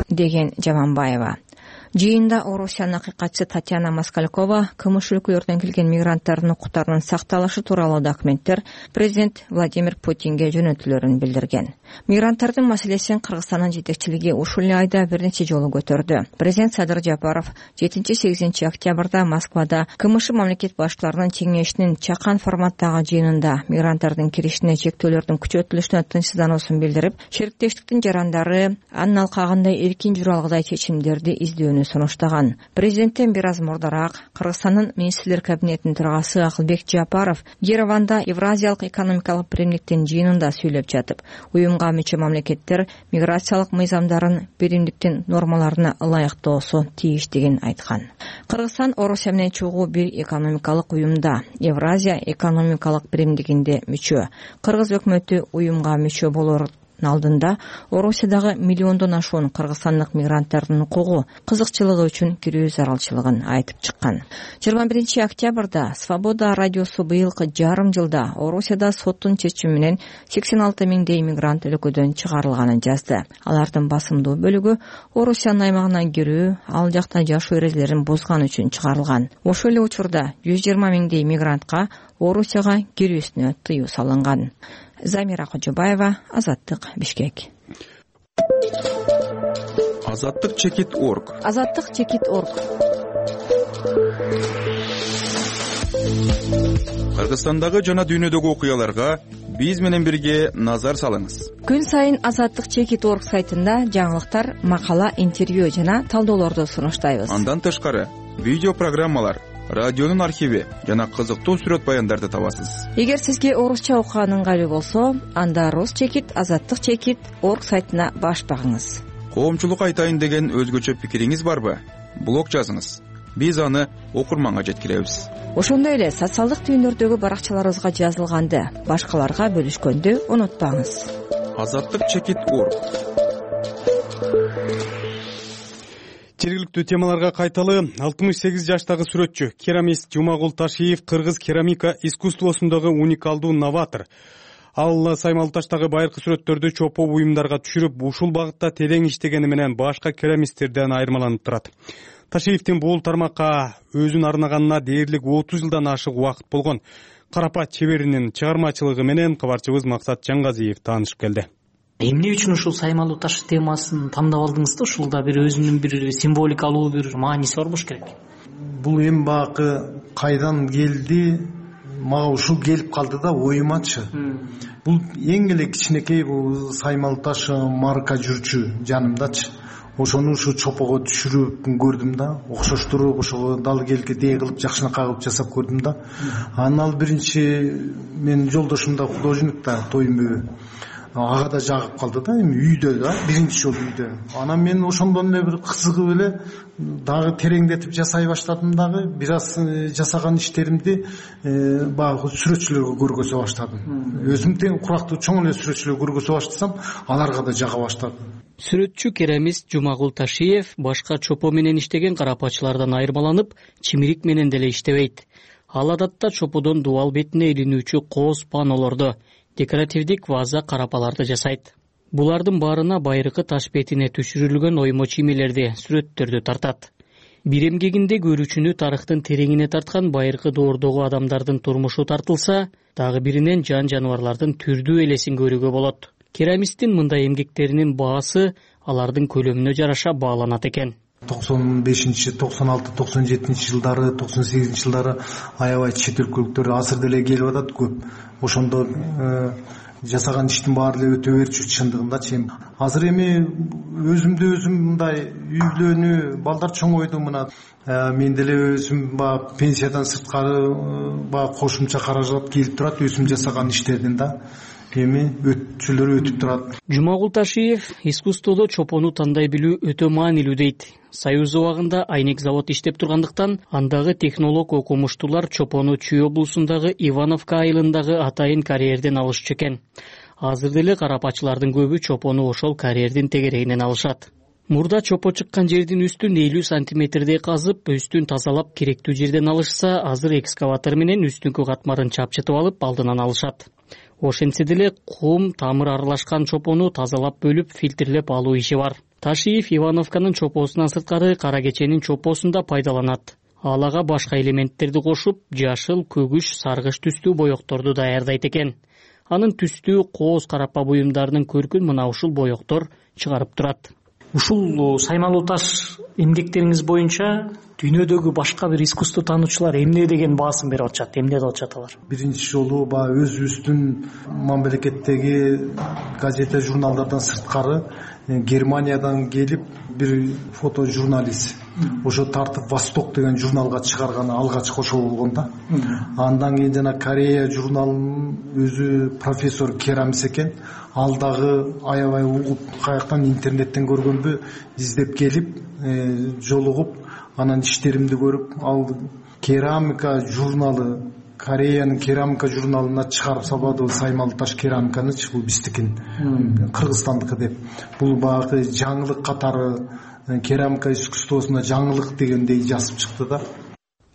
деген Жаманбаева. Жыйында Орусиянын акыйкатчысы Татьяна Москалькова КМШ өлкөлөрүнөн келген мигранттардын укуктарынын сакталышы тууралуу документтер президент Владимир Путинге жөнөтүлөрүн билдирген. Мигранттардын маселесин Кыргызстандын жетекчилиги ушул эле айда бир нече жолу көтөрдү. Президент Садыр Жапаров 7-8 октябрда Москвада КМШ мамлекет башчыларынын кеңешинин чакан форматтагы жыйынында мигранттардын киришине чектөөлөрдүн күчөтүлүшүнө тынчсыздануусун билдирип, шериктештиктин жарандары анын алкагында эркин жүрө алгыдай чечимдерди издөөнү сунуштаган. Президенттен бир аз мурдараак Кыргызстандын министрлер кабинетинин төрагасы Акылбек Жапаров Ереванда Евразиялык экономикалык биримдиктин жыйынында сүйлөп жатып, уюмга мүчө мамлекеттер миграциялык мыйзамдарын биримдиктин нормаларына ылайыктоосу тийиштигин айткан. Кыргызстан Орусия менен чогуу бир экономикалык уюмда, Евразия экономикалык биримдигинде мүчө. Кыргыз өкмөтү уюмга мүчө болор алдында Орусиядагы миллиондон ашуун кыргызстандык мигранттардын укугу, кызыкчылыгы үчүн кирүү зарылчылыгын айтып чыккан. 21 октябрда Свобода радиосу быйылкы жарым жылда Орусияда соттун чечими менен 86 миңдей мигрант өлкөдөн чыгарылганын жазды. Алардын басымдуу бөлүгү Орусиянын аймагына кирүү, ал жакта жашоо эрежелерин бузган үчүн чыгарылган. Ошол эле учурда 120 миңдей мигрантка Орусияга кирүүсүнө тыюу салынган. Замира Кожобаева, Азаттык, Бишкек. Азаттык чекит.орг. Азаттык чекит.орг. Кыргызстандагы жана дүйнөдөгү окуяларга биз менен бирге назар салыңыз. Күн сайын Азаттык чекит.орг сайтында жаңылыктар, макала, интервью жана талдоолорду сунуштайбыз. Андан тышкары видео программалар, радионун архиви жана кызыктуу сүрөт баяндарды табасыз. Эгер сизге орусча окуган ыңгайлуу болсо, анда Рус чекит, Азаттык чекит.орг сайтына баш багыңыз. Коомчулукка айтайын деген өзгөчө пикириңиз барбы? Блог жазыңыз. Биз аны окурманга жеткиребиз. Ошондой эле социалдык түйүндөрдөгү баракчаларыбызга жазылганды башкаларга бөлүшкөндү унутпаңыз. Азаттык чекит.орг. Жергиликтүү темаларга кайталы. 68 жаштагы сүрөтчү, керамист Жумагул Ташиев кыргыз керамика искусствосундагы уникалдуу новатор. Ал Саймал таштагы байыркы сүрөттөрдү чопо буюмдарга түшүрүп, ушул багытта терең иштегени менен башка керамисттерден айырмаланып турат. Ташиевдин бул тармакка өзүн арнаганына дээрлик 30 жылдан ашык убакыт болгон. Карапат чеберинин чыгармачылыгы менен кабарчыбыз Максат Жаңгазиев таанышып келди. Эмне үчүн ушул саймалуу таш темасын тандап алдыңыз да? Ушулда бир өзүнүн бир символикалуу бир мааниси бар болуш керек. Бул эми багы кайдан келди, мага ушул келип калды да оюмачы. Бул эң эле кичинекей бул саймалуу таш марка жүрчү жанымдачы. Ошону ушу чопого түшүрүп көрдүм да, окшоштуруп ошого дал келге дээ кылып жакшынакай кылып жасап көрдүм да. Анан ал биринчи менин жолдошум да художник да, Тоймбө. Ага да жагып калды да, эми үйдө да, биринчи жолу үйдө. Анан мен ошондон эле бир кызыгып эле дагы тереңдетип жасай баштадым дагы. Бир аз жасаган иштеримди баягы сүрөтчүлөргө көргөзө баштадым. Өзүм тең курактуу чоң эле сүрөтчүлөргө көргөзө баштасам, аларга да жага баштады. Сүрөтчү керамист Жумагул Ташиев башка чопо менен иштеген карапачылардан айырмаланып, чимирик менен деле иштебейт. Ал адатта чоподон дубал бетине илинүүчү кооз панолорду, декоративдик ваза карапаларды жасайт. Булардын баарына байыркы таш бетине түшүрүлгөн оймо чимилерди, сүрөттөрдү тартат. Бир эмгегинде көрүүчүнү тарыхтын тереңине тарткан байыркы доордогу адамдардын турмушу тартылса, дагы биринен жан жаныбарлардын түрдүү элесин көрүүгө болот. Керамисттин мындай эмгектеринин баасы алардын көлөмүнө жараша бааланат экен. 95, 96, 97 жылдары, 98 жылдары аябай чет өлкөлүктөр азыр деле келип атат көп. Ошондо жасаган иштин баары эле өтө берчү чындыгындачы. Азыр эми өзүмдү өзүм мындай үйлөнүү, балдар чоңойду мына. Мен деле өзүм пенсиядан сырткары кошумча каражат келип турат өзүм жасаган иштерден да. өтчүлөр өтүп турат. Жумагул Ташиев искусстводо чопону тандай билүү өтө маанилүү дейт. Союз убагында айнек завод иштеп тургандыктан андагы технолог окумуштуулар чопону Чүй облусундагы Ивановка айылындагы атайын карьерден алышчу экен. Азыр деле карапачылардын көбү чопону ошол карьердин тегерегинен алышат. Мурда чопо чыккан жердин үстүн 50 сантиметрдей казып, үстүн тазалап керектүү жерден алышса, азыр экскаватор менен үстүнкү катмарын чапчытып алып алдынан алышат. Ошентсе деле кум, тамыр аралашкан чопону тазалап бөлүп, фильтрлеп алуу иши бар. Ташиев Ивановканын чопосунан сырткары Кара Кеченин чопосун да пайдаланат. Ал ага башка элементтерди кошуп, жашыл, көгүш, саргыч түстүү боекторду даярдайт экен. Анын түстүү кооз карапа буюмдарынын көркүн мына ушул боектор чыгарып турат. Ушул саймалуу таш эмгектериңиз боюнча дүйнөдөгү башка бир искусство таануучулар эмне деген баасын берип атышат, эмне деп атышат алар? Биринчи жолу баягы өзүбүздүн мамлекеттеги газета журналдардан сырткары Германиядан келип бир фото журналист ошо тартып Восток деген журналга чыгарганы алгачкы ошол болгон да. Андан кийин жана Корея журналынын өзү профессор Керамис экен. Ал дагы аябай угуп каяктан интернеттен көргөнбү издеп келип жолугуп анан иштеримди көрүп ал керамика журналы Кореянын керамика журналына чыгарып салбады саймалуу таш керамиканычы, бул биздикин, Кыргызстандыкы деп. Бул баягы жаңылык катары керамика искусствосуна жаңылык дегендей жазып чыкты да.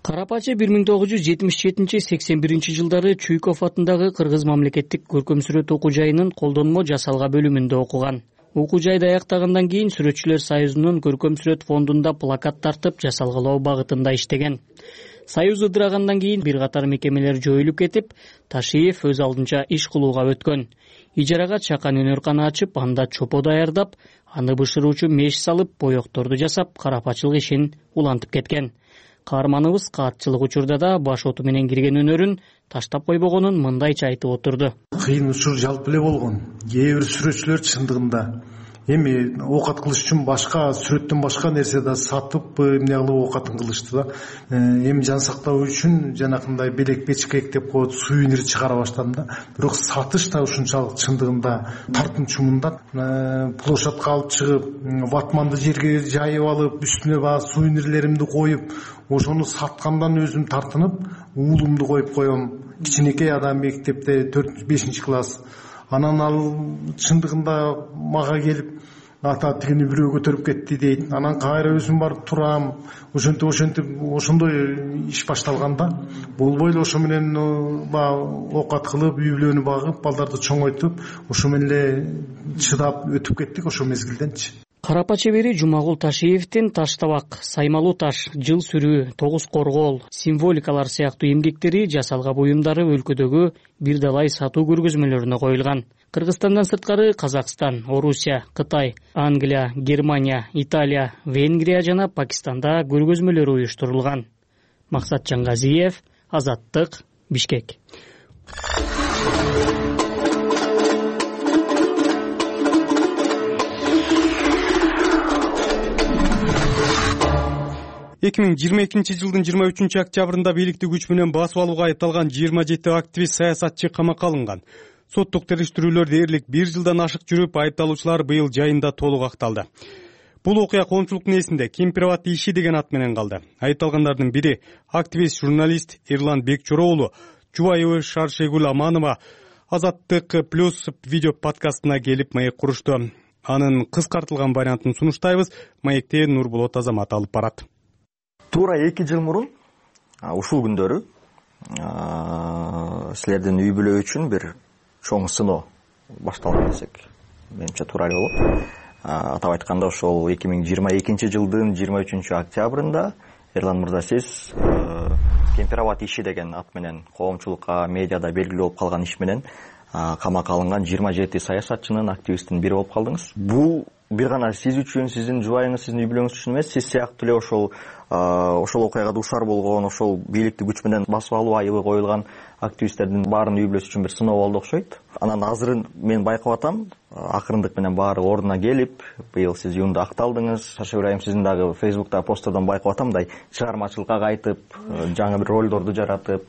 Карапачы 1977-81 жылдары Чуйков атындагы Кыргыз мамлекеттик көркөм сүрөт окуу жайынын колдонмо жасалга бөлүмүндө окуган. Окуу жайды аяктагандан кийин Сүрөтчүлөр союзунун көркөм сүрөт фондунда плакат тартып жасалгалоо багытында иштеген. Союз ыдырагандан кийин бир катар мекемелер жоюлуп кетип, Ташиев өз алдынча иш кылууга өткөн. Ижарага чакан өнөркана ачып, анда чопо даярдап, аны бышыруучу меш салып, боекторду жасап, карапачылык ишин улантып кеткен. Каарманыбыз каатчылык учурда да баш оту менен кирген өнөрүн таштап койбогонун мындайча айтып отурду. Кыйын учур жалпы эле болгон. Кээ бир сүрөтчүлөр чындыгында эми оокат кылыш үчүн башка сүрөттөн башка нерсе да сатып эмне кылып оокатын кылышты да. Эми жан сактоо үчүн жанакындай белек печкек деп коет, сувенир чыгара баштадым да. Бирок сатыш да ушунчалык чындыгында тартымчу мындан площадка алып чыгып, ватманды жерге жайып алып, үстүнө баягы сувенирлеримди коюп, ошону саткандан өзүм тартынып, уулумду коюп коем. Кичинекей адам мектепте 4-5 класс. Анан ал чындыгында мага келип, ата тигини бирөө көтөрүп кетти дейт. Анан кайра өзүм барып турам. Ошентип ошондой иш башталганда, болбой эле ошо менен оокат кылып, үй бүлөнү багып, балдарды чоңойтуп, ошо менен эле чыдап өтүп кеттик ошо мезгилденчи. Карапа чебери Жумагул Ташиевдин Таштабак, Саймалуу таш, Жыл сүрүү, Тогуз коргоол, символикалар сыяктуу эмгектери жасалга буюмдары өлкөдөгү бир далай сатуу көргөзмөлөрүнө коюлган. Кыргызстандан сырткары Казакстан, Орусия, Кытай, Англия, Германия, Италия, Венгрия жана Пакистанда көргөзмөлөр уюштурулган. Максат Жангазиев, Азаттык, Бишкек. 2022 жылдын 23 октябрында бийликти күч менен басып алууга айыпталган 27 активист саясатчы камакка алынган. Соттук териштирүүлөр дээрлик 1 жылдан ашык жүрүп, айыпталуучулар быйыл жайында толук акталды. Бул окуя коомчулуктун эсинде Кемпирабад иши деген ат менен калды. Айыпталгандардын бири активист журналист Эрлан Бекчора уулу Жубайыбы Шаршегүл Аманова Азаттык плюс видео подкастына келип маек курушту. Анын кыскартылган вариантын сунуштайбыз. Маекте Нурболот Азамат алып барат. Туура 2 жыл мурун ушул күндөрү силердин үй бүлө үчүн бир чоң сыноо башталган десек менимче туура эле болот. Атап айтканда ошол 2022 жылдын 23 октябрында Эрлан мырза сиз Кемпирабад иши деген ат менен коомчулукка медиада белгилүү болуп калган иш менен камакка алынган 27 саясатчынын, активисттин бири болуп калдыңыз. Бул бир гана сиз үчүн, сиздин жубайыңыз, сиздин үй бүлөңүз үчүн эмес, сиз сыяктуу эле ошол окуяга дуушар болгон, ошол бийликти күч менен басып алуу айыбы коюлган активисттердин баарынын үй бүлөсү үчүн бир сыноо болду окшойт. Анан азыр мен байкап атам, акырындык менен баары ордуна келип, быйыл сиз июнда акталдыңыз. Шашагүл айым, сиздин дагы Facebook'та посттордон байкап атам, мындай чыгармачылыкка кайтып, жаңы бир ролдорду жаратып,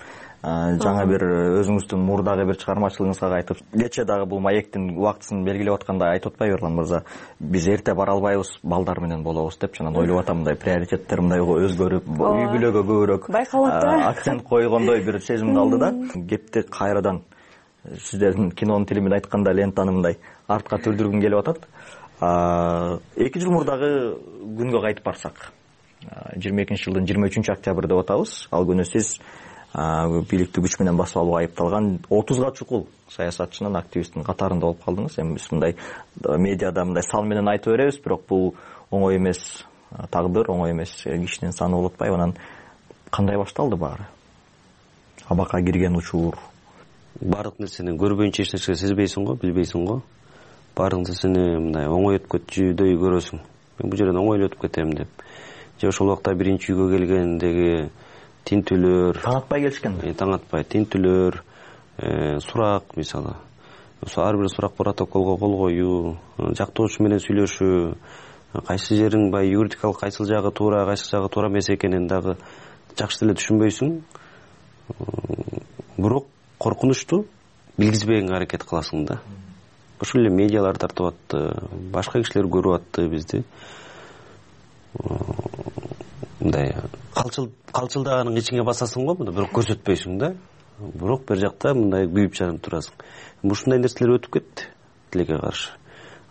жаңы бир өзүңүздүн мурдагы бир чыгармачылыгыңызга кайтып, кечээ дагы бул маектин убактысын белгилеп атканда айтып атпайбы Эрлан мырза, биз эрте бара албайбыз, балдар менен болобуз деп, жана ойлоп атам, мындай приоритеттер мындай өзгөрүп, үй бүлөгө көбүрөөк акцент койгондой бир сезим калды да. Кепти кайрадан сиздердин кинонун тили менен айтканда лентаны мындай артка түрдүргүм келип атат. 2 жыл мурдагы күнгө кайтып барсак, 22-жылдын 23 октябрь деп атабыз. Ал күнү сиз бийликти күч менен басып алууга айыпталган 30га чукул саясатчынын, активисттин катарында болуп калдыңыз. Эми биз мындай медиада мындай сан менен айтып беребиз, бирок бул оңой эмес тагдыр, оңой эмес кишинин саны болуп атпайбы. Анан кандай башталды баары? Абакка кирген учур. Бардык нерсени көрбөйүнчө эч нерсе сезбейсиң го, билбейсиң го. Бардык нерсени мындай оңой өтүп кетчүдөй көрөсүң. Мен бул жерден оңой эле өтүп кетем деп. Же ошол убакта биринчи үйгө келгендеги тинтүүлөр, таң атпай келишкен. Таң атпай тинтүүлөр, сурак мисалы. Ошо ар бир сурак протоколго кол коюу, жактоочу менен сүйлөшүү, кайсы жериң баягы юридикалык кайсыл жагы туура, кайсы жагы туура эмес экенин дагы жакшы эле түшүнбөйсүң. Бирок коркунучту билгизбегенге аракет кыласың да. Ошол эле медиалар тартып атты, башка кишилер көрүп атты бизди. Мындай калчылдаганын ичиңе басасың го, бирок көрсөтпөйсүң да. Бирок бир жакта мындай күйүп жанып турасың. Ушундай нерселер өтүп кетти тилекке каршы.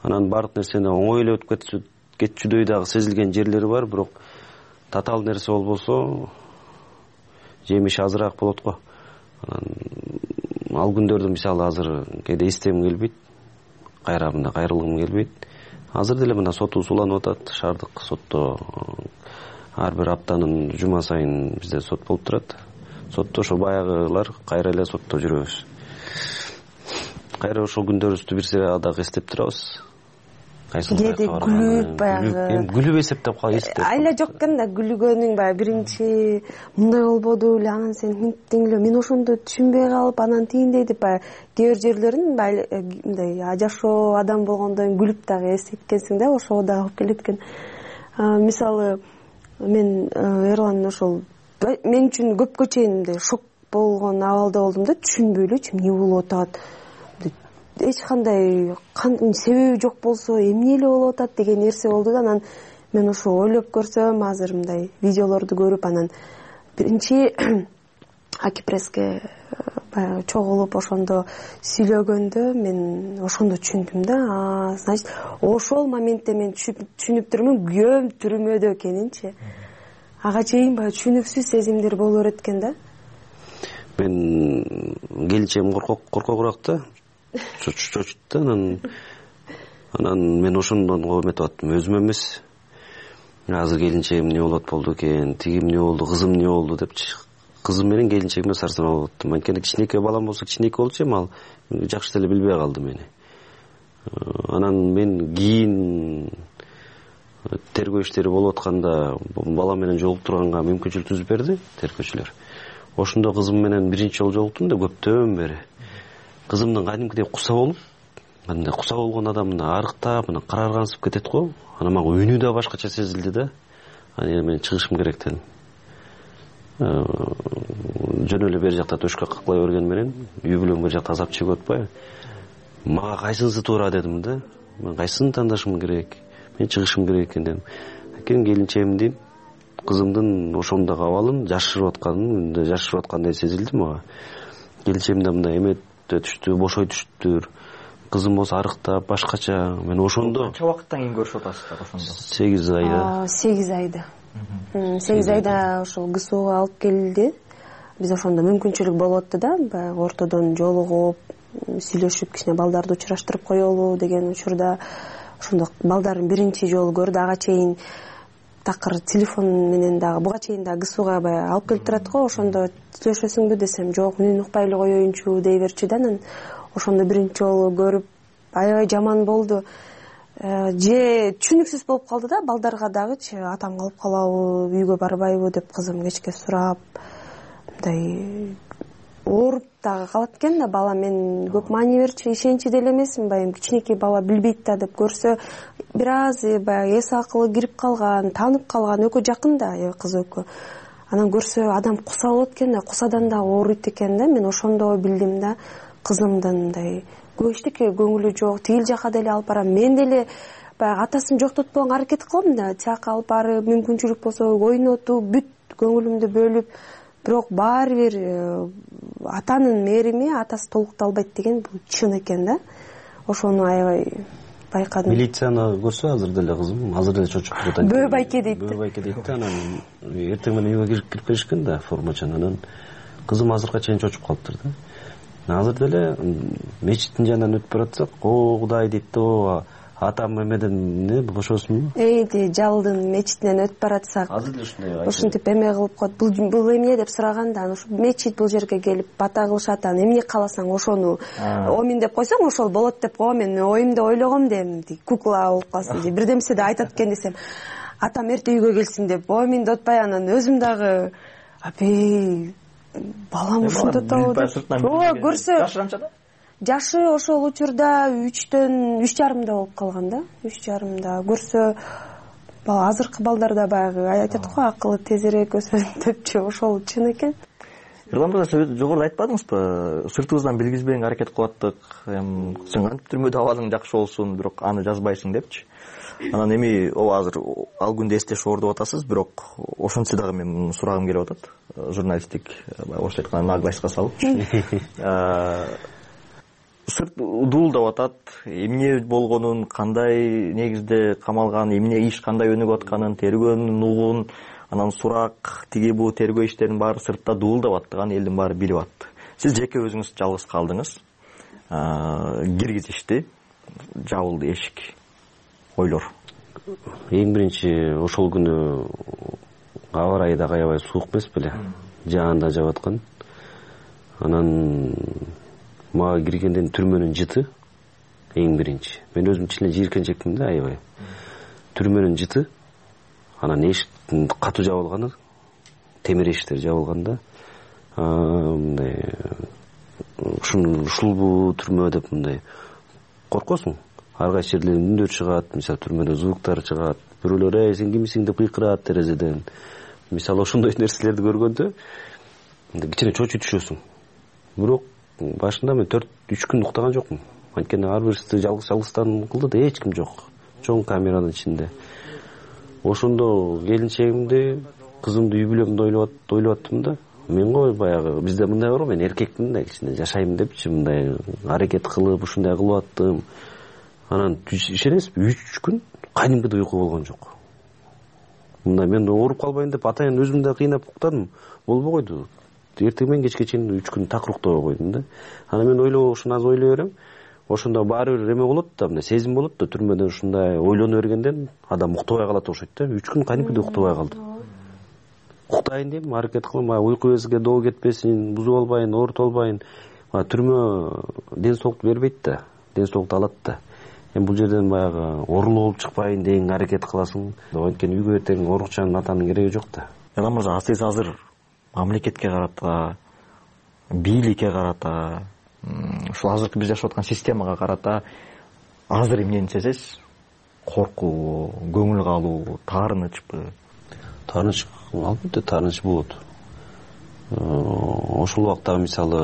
Анан бардык нерсени оңой эле өтүп кетчүдөй дагы сезилген жерлери бар, бирок татаал нерсе болбосо жемиши азыраак болот го. Анан ал күндөрдү мисалы азыр кээде эстегим келбейт, кайра мындай кайрылгым келбейт. Азыр деле мына сотубуз уланып атат, шаардык сотто ар бир аптанын жума сайын бизде сот болуп турат. Сотто ошо баягылар кайра эле сотто жүрөбүз. Кайра ошол күндөрүбүздү бир сыйра дагы эстеп турабыз. Кээде күлүп баягы күлүп эсептеп калып айла жок экен да, күлгөнүң баягы биринчи мындай болбоду эле, анан сен мынтиң эле, мен ошондо түшүнбөй калып, анан тигиндей деп баягы кээ бир жерлерин мындай жашоо адам болгондон күлүп дагы эсеткенсиң да, ошого дагы алып келет экен. Мисалы мен Эрлан ошол мен үчүн көпкө чейин мындай шок болгон абалда болдум да, түшүнбөй элечи эмне болуп атат. Эч кандай себеби жок болсо эмне эле болуп атат деген нерсе болду да. Анан мен ошо ойлоп көрсөм, азыр мындай видеолорду көрүп, анан биринчи Аки пресске баягы чогулуп ошондо сүйлөгөндө мен ошондо түшүндүм да. Значит, ошол моментте мен түшүнүп турмун күйөөм түрмөдө экенинчи. Ага чейин баягы түшүнүксүз сезимдер боло берет экен да. Мен келинчегим коркогураак да, чочут да. Анан мен ошондон эметип аттым, өзүм эмес. Азыр келинчегим эмне болот болду экен, тиги эмне болду, кызым эмне болду депчи. Кызым менен келинчегиме сарсанаа болуп аттым. Анткени кичинекей балам болсо кичинекей болчу, эми ал жакшы деле билбей калды мени. Анан мен кийин тергөө иштери болуп атканда бала менен жолуктурганга мүмкүнчүлүк түзүп берди тергөөчүлөр. Ошондо кызым менен биринчи жолу жолуктум да, көптөн бери. Кызымдын кадимкидей куса болуп, мындай куса болгон адам мына арыктап, мына караргансып кетет го. Анан мага үнү да башкача сезилди да. Анан мен чыгышым керек дедим. Жөн эле бери жакта төшкө каклай берген менен үй бүлөм бери жакта азап чегип атпайбы? Мага кайсынысы туура дедим да. Мен кайсысын тандашым керек? Мен чыгышым керек экен дедим. Анткени келинчегимдин, кызымдын ошондогу абалын жашырып аткандай сезилди мага. Келинчегим да мындай эметте түштү, бошой түштүр. Кызым болсо арыктап, башкача. Мен ошондо канча убакыттан кийин көрүшүп атасыздар ошондо? 8 айда. 8 айда. 8 айда ошол ГСУга алып келди. Биз ошондо мүмкүнчүлүк болуп атты да, баягы ортодон жолугуп, сүйлөшүп, кичине балдарды учураштырып коелу деген учурда ошондо балдарын биринчи жолу көрдү. Ага чейин такыр телефон менен дагы, буга чейин дагы ГСУга баягы алып келип турат го. Ошондо сүйлөшөсүңбү десем, жок, үнүн укпай эле коеюнчу дей берчү да. Анан ошондо биринчи жолу көрүп аябай жаман болду. Же түшүнүксүз болуп калды да, балдарга дагычы, атам калып калабы, үйгө барбайбы деп кызым кечке сурап, мындай ооруп дагы калат экен да бала. Мен көп маани берчү, ишенчи деле эмесмин, баягы кичинекей бала билбейт да деп көрсө, бир аз баягы эс акылы кирип калган, таанып калган, экөө жакын да, кыз экөө. анан көрсө адам куса болот экен да, кусадан да ооруйт экен да. Мен ошондо билдим да, кызымдын мындай көп эчтеке көңүлү жок, тигил жака деле алып барам. Мен деле баягы атасын жоктотпогонго аракет кылам да, тияка алып барып, мүмкүнчүлүк болсо ойнотуп, бүт көңүлүмдү бөлүп, бирок баары бир атанын мээрими атасы толукталбайт деген бул чын экен да. Ошону аябай байкадым. Милицияны көрсө азыр деле кызым, азыр деле чочуп турат. Бөө байке дейт. Бөө байке дейт да, анан эртең менен үйгө кирип келишкен да, формачан. Анан кызым азыркыга чейин чочуп калыптыр да. Азыр деле мечиттин жанынан өтүп баратсак, о Кудай дейт да, атам эмеден бошосунбу? Жалдын мечитинен өтүп баратсак, азыр деле ушундай ушинтип эме кылып коет. Бул эмне деп сураганда, анан ушу мечит бул жерге келип бата кылышат, анан эмне кааласаң ошону омин деп койсоң ошол болот деп койгом. Мен оюмда ойлогом дем, кукла болуп калсын же бир нерсе да айтат экен десем, атам эрте үйгө келсин деп оминди отпай, анан өзүм дагы апей балам ушунда табы ооба көрсө жашы ошол учурда 3,5 болуп калган да. 3,5 көрсө азыркы балдарда баягы айтат го, акылы тезирээк өсөт депчи, ошол чын экен. Эрлан мырза, сиз жогоруда айтпадыңызбы, сыртыбыздан билгизбегенге аракет кылаттык, сен кантип түрмөдө абалың жакшы болсун, бирок аны жазбайсың депчи. Анан эми азыр ал күндү эстешип оордоп атасыз, бирок ошентсе дагы мен сурагым келип атат. Журналисттик орусча айтканда наглостька салып. Сырт дуулдап атат, эмне болгонун, кандай негизде камалган, эмне иш кандай өнүгүп атканын, тергөөнүн угун, анан сурак, тиги бул тергөө иштеринин баары сыртта дуулдап аттыган элдин баары билип атты. Сиз жеке өзүңүз жалгыз калдыңыз, киргизишти, жабылды эшик, ойлор. Эң биринчи ошол күнү аба ырайы да аябай суук эмес беле, жаанда жаап аткан. Анан мага киргенден түрмөнүн жыты эң биринчи. Мен өзүм чын эле жийиркенчекмин да, аябай. Түрмөнүн жыты, анан эшиктин катуу жабылганы, темир эшиктер жабылган да. Мындай ушулбу түрмө деп мындай коркосуң. Ар кайсы жерлерден үндөр чыгат, мисалы түрмөдө звуктар чыгат. Бирөөлөр сен кимсиң деп кыйкырат терезеден. Мисалы ошондой нерселерди көргөндө кичине чочуй түшөсүң. Бирок башында мен 4-3 күн уктаган жокмун. Анткени ар бирisi жалгыздан кылды да, эч ким жок. Чоң камеранын ичинде. Ошондо келинчегимди, кызымды үй бүлөмдү ойлоп аттым да. Мен го баягы бизде мындай бар го, мен эркекмин да, кичине жашайм депчи мындай аракет кылып, ушундай кылып аттым. Анан ишенесизби, 3 күн кадимкидей уйку болгон жок. Мындай мен ооруп калбайын деп атайын өзүмдү да кыйнап уктадым. Болбой койду. Эртең менен кечке чейин 3 күн такыр уктобой койдум да. Анан мен ушуну аз ойлой берем. Ошондо баары бир эме болот да, мындай сезим болот да, түрмөдө ушундай ойлоно бергенден адам уктобой калат окшойт да. 3 күн кадимкидей уктобой калды. Уктайын дейм, аракет кылам, уйку безге доо кетпесин, бузуп албайын, оорутуп албайын. Түрмө ден соолукту бербейт да, ден соолукту алат да. Бул жерден баягы оорулуу болуп чыкпайын деген аракет кыласың. Анткени үйгө эртең орукчанын атанын кереги жок да. Эрлан мырза, сиз азыр мамлекетке карата, бийликке карата, ушул азыркы биз жашап аткан системага карата азыр эмнени сезесиз? Коркуу, көңүл калуу, таарынычпы? Таарыныч, албетте таарыныч болот. Ошол убакта мисалы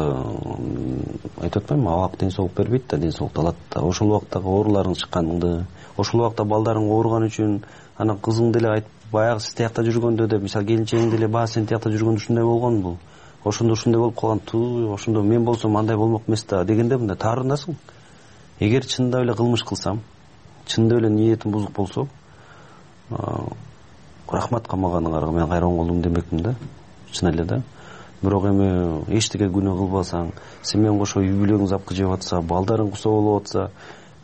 айтып атпаймынбы, абак ден соолук бербейт да, ден соолукту алат да. Ошол убактагы ооруларың чыкканыңды, ошол убакта балдарың ооруган үчүн, анан кызың деле айтып, баягы сиз тиякта жүргөндө деп, мисалы келинчегиң деле баягы сен тиякта жүргөндө ушундай болгон бул. Ошондо ушундай болуп калган, ошондо мен болсом андай болмок эмес да дегенде мындай таарынасың. Эгер чындап эле кылмыш кылсам, чындап эле ниетим бузук болсо, рахмат камаганыңарга мен кайра оңолдум демекмин да. Чын эле да. Бирок эми эчтеке күнөө кылбасаң, сен менен кошо үй бүлөгүң запкы жеп атса, балдарың кусоо болуп атса,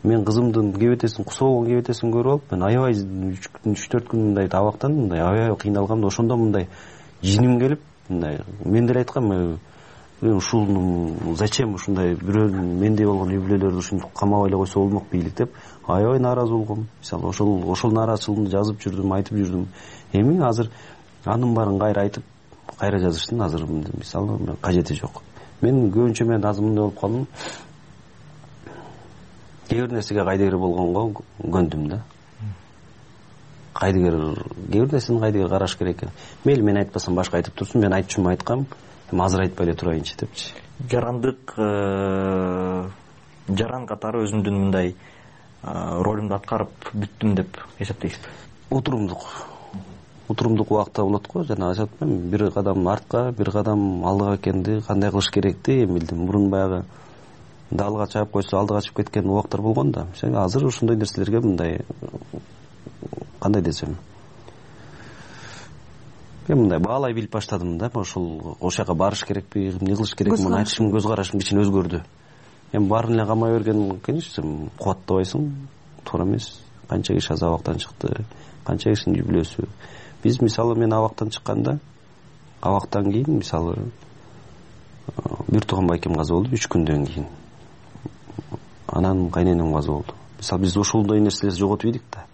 мен кызымдын кебетесин, кусоо болгон кебетесин көрүп алып, мен аябай 3-4 күн мындай табактан мындай аябай кыйналгам да, ошондо мындай жиним келип, мындай мен деле айткам, ушуну зачем ушундай бирөө мендей болгон үй бүлөлөрдү ушинтип камабай эле койсо болмок бийлик деп аябай нааразы болгом. Мисалы ошол нааразычылыгымды жазып жүрдүм, айтып жүрдүм. Эми азыр анын баарын кайра айтып, кайра жазыштын азыр мисалы кажети жок. Мен көбүнчө мен азыр мындай болуп калдым. Кээ бир нерсеге кайдыгер болгонго көндүм да. кээ бир нерсени кайдыгер караш керек экен. Мейли мен айтпасам башка айтып турсун, мен айтчумун айткам, эми азыр айтпай эле турайынчы депчи. Жарандык жаран катары өзүмдүн мындай ролумду аткарып бүттүм деп эсептейсизби? Утурумдук убакта болот го, жана айтып атпаймынбы, бир кадам артка, бир кадам алдыга экенди, кандай кылыш керекти эми билдим. Мурун баягы далга чаап койсо алдыга чыгып кеткен убактар болгон да. Азыр ошондой нерселерге мындай кандай десем, мен мындай баалай билип баштадым да. Ошол жака барыш керекпи, эмне кылыш керек, муну айтышым, көз карашым кичине өзгөрдү. Эми баарын эле камай берген, конечно, кубаттабайсың, туура эмес. Канча киши аз абактан чыкты, канча кишинин жүйбүлөөсү. Биз мисалы мен абактан чыкканда, абактан кийин мисалы бир тууган байкем каза болду 3 күндөн кийин. Анан кайненем каза болду. Мисалы биз ошондой нерселерди жоготуп ийдик да.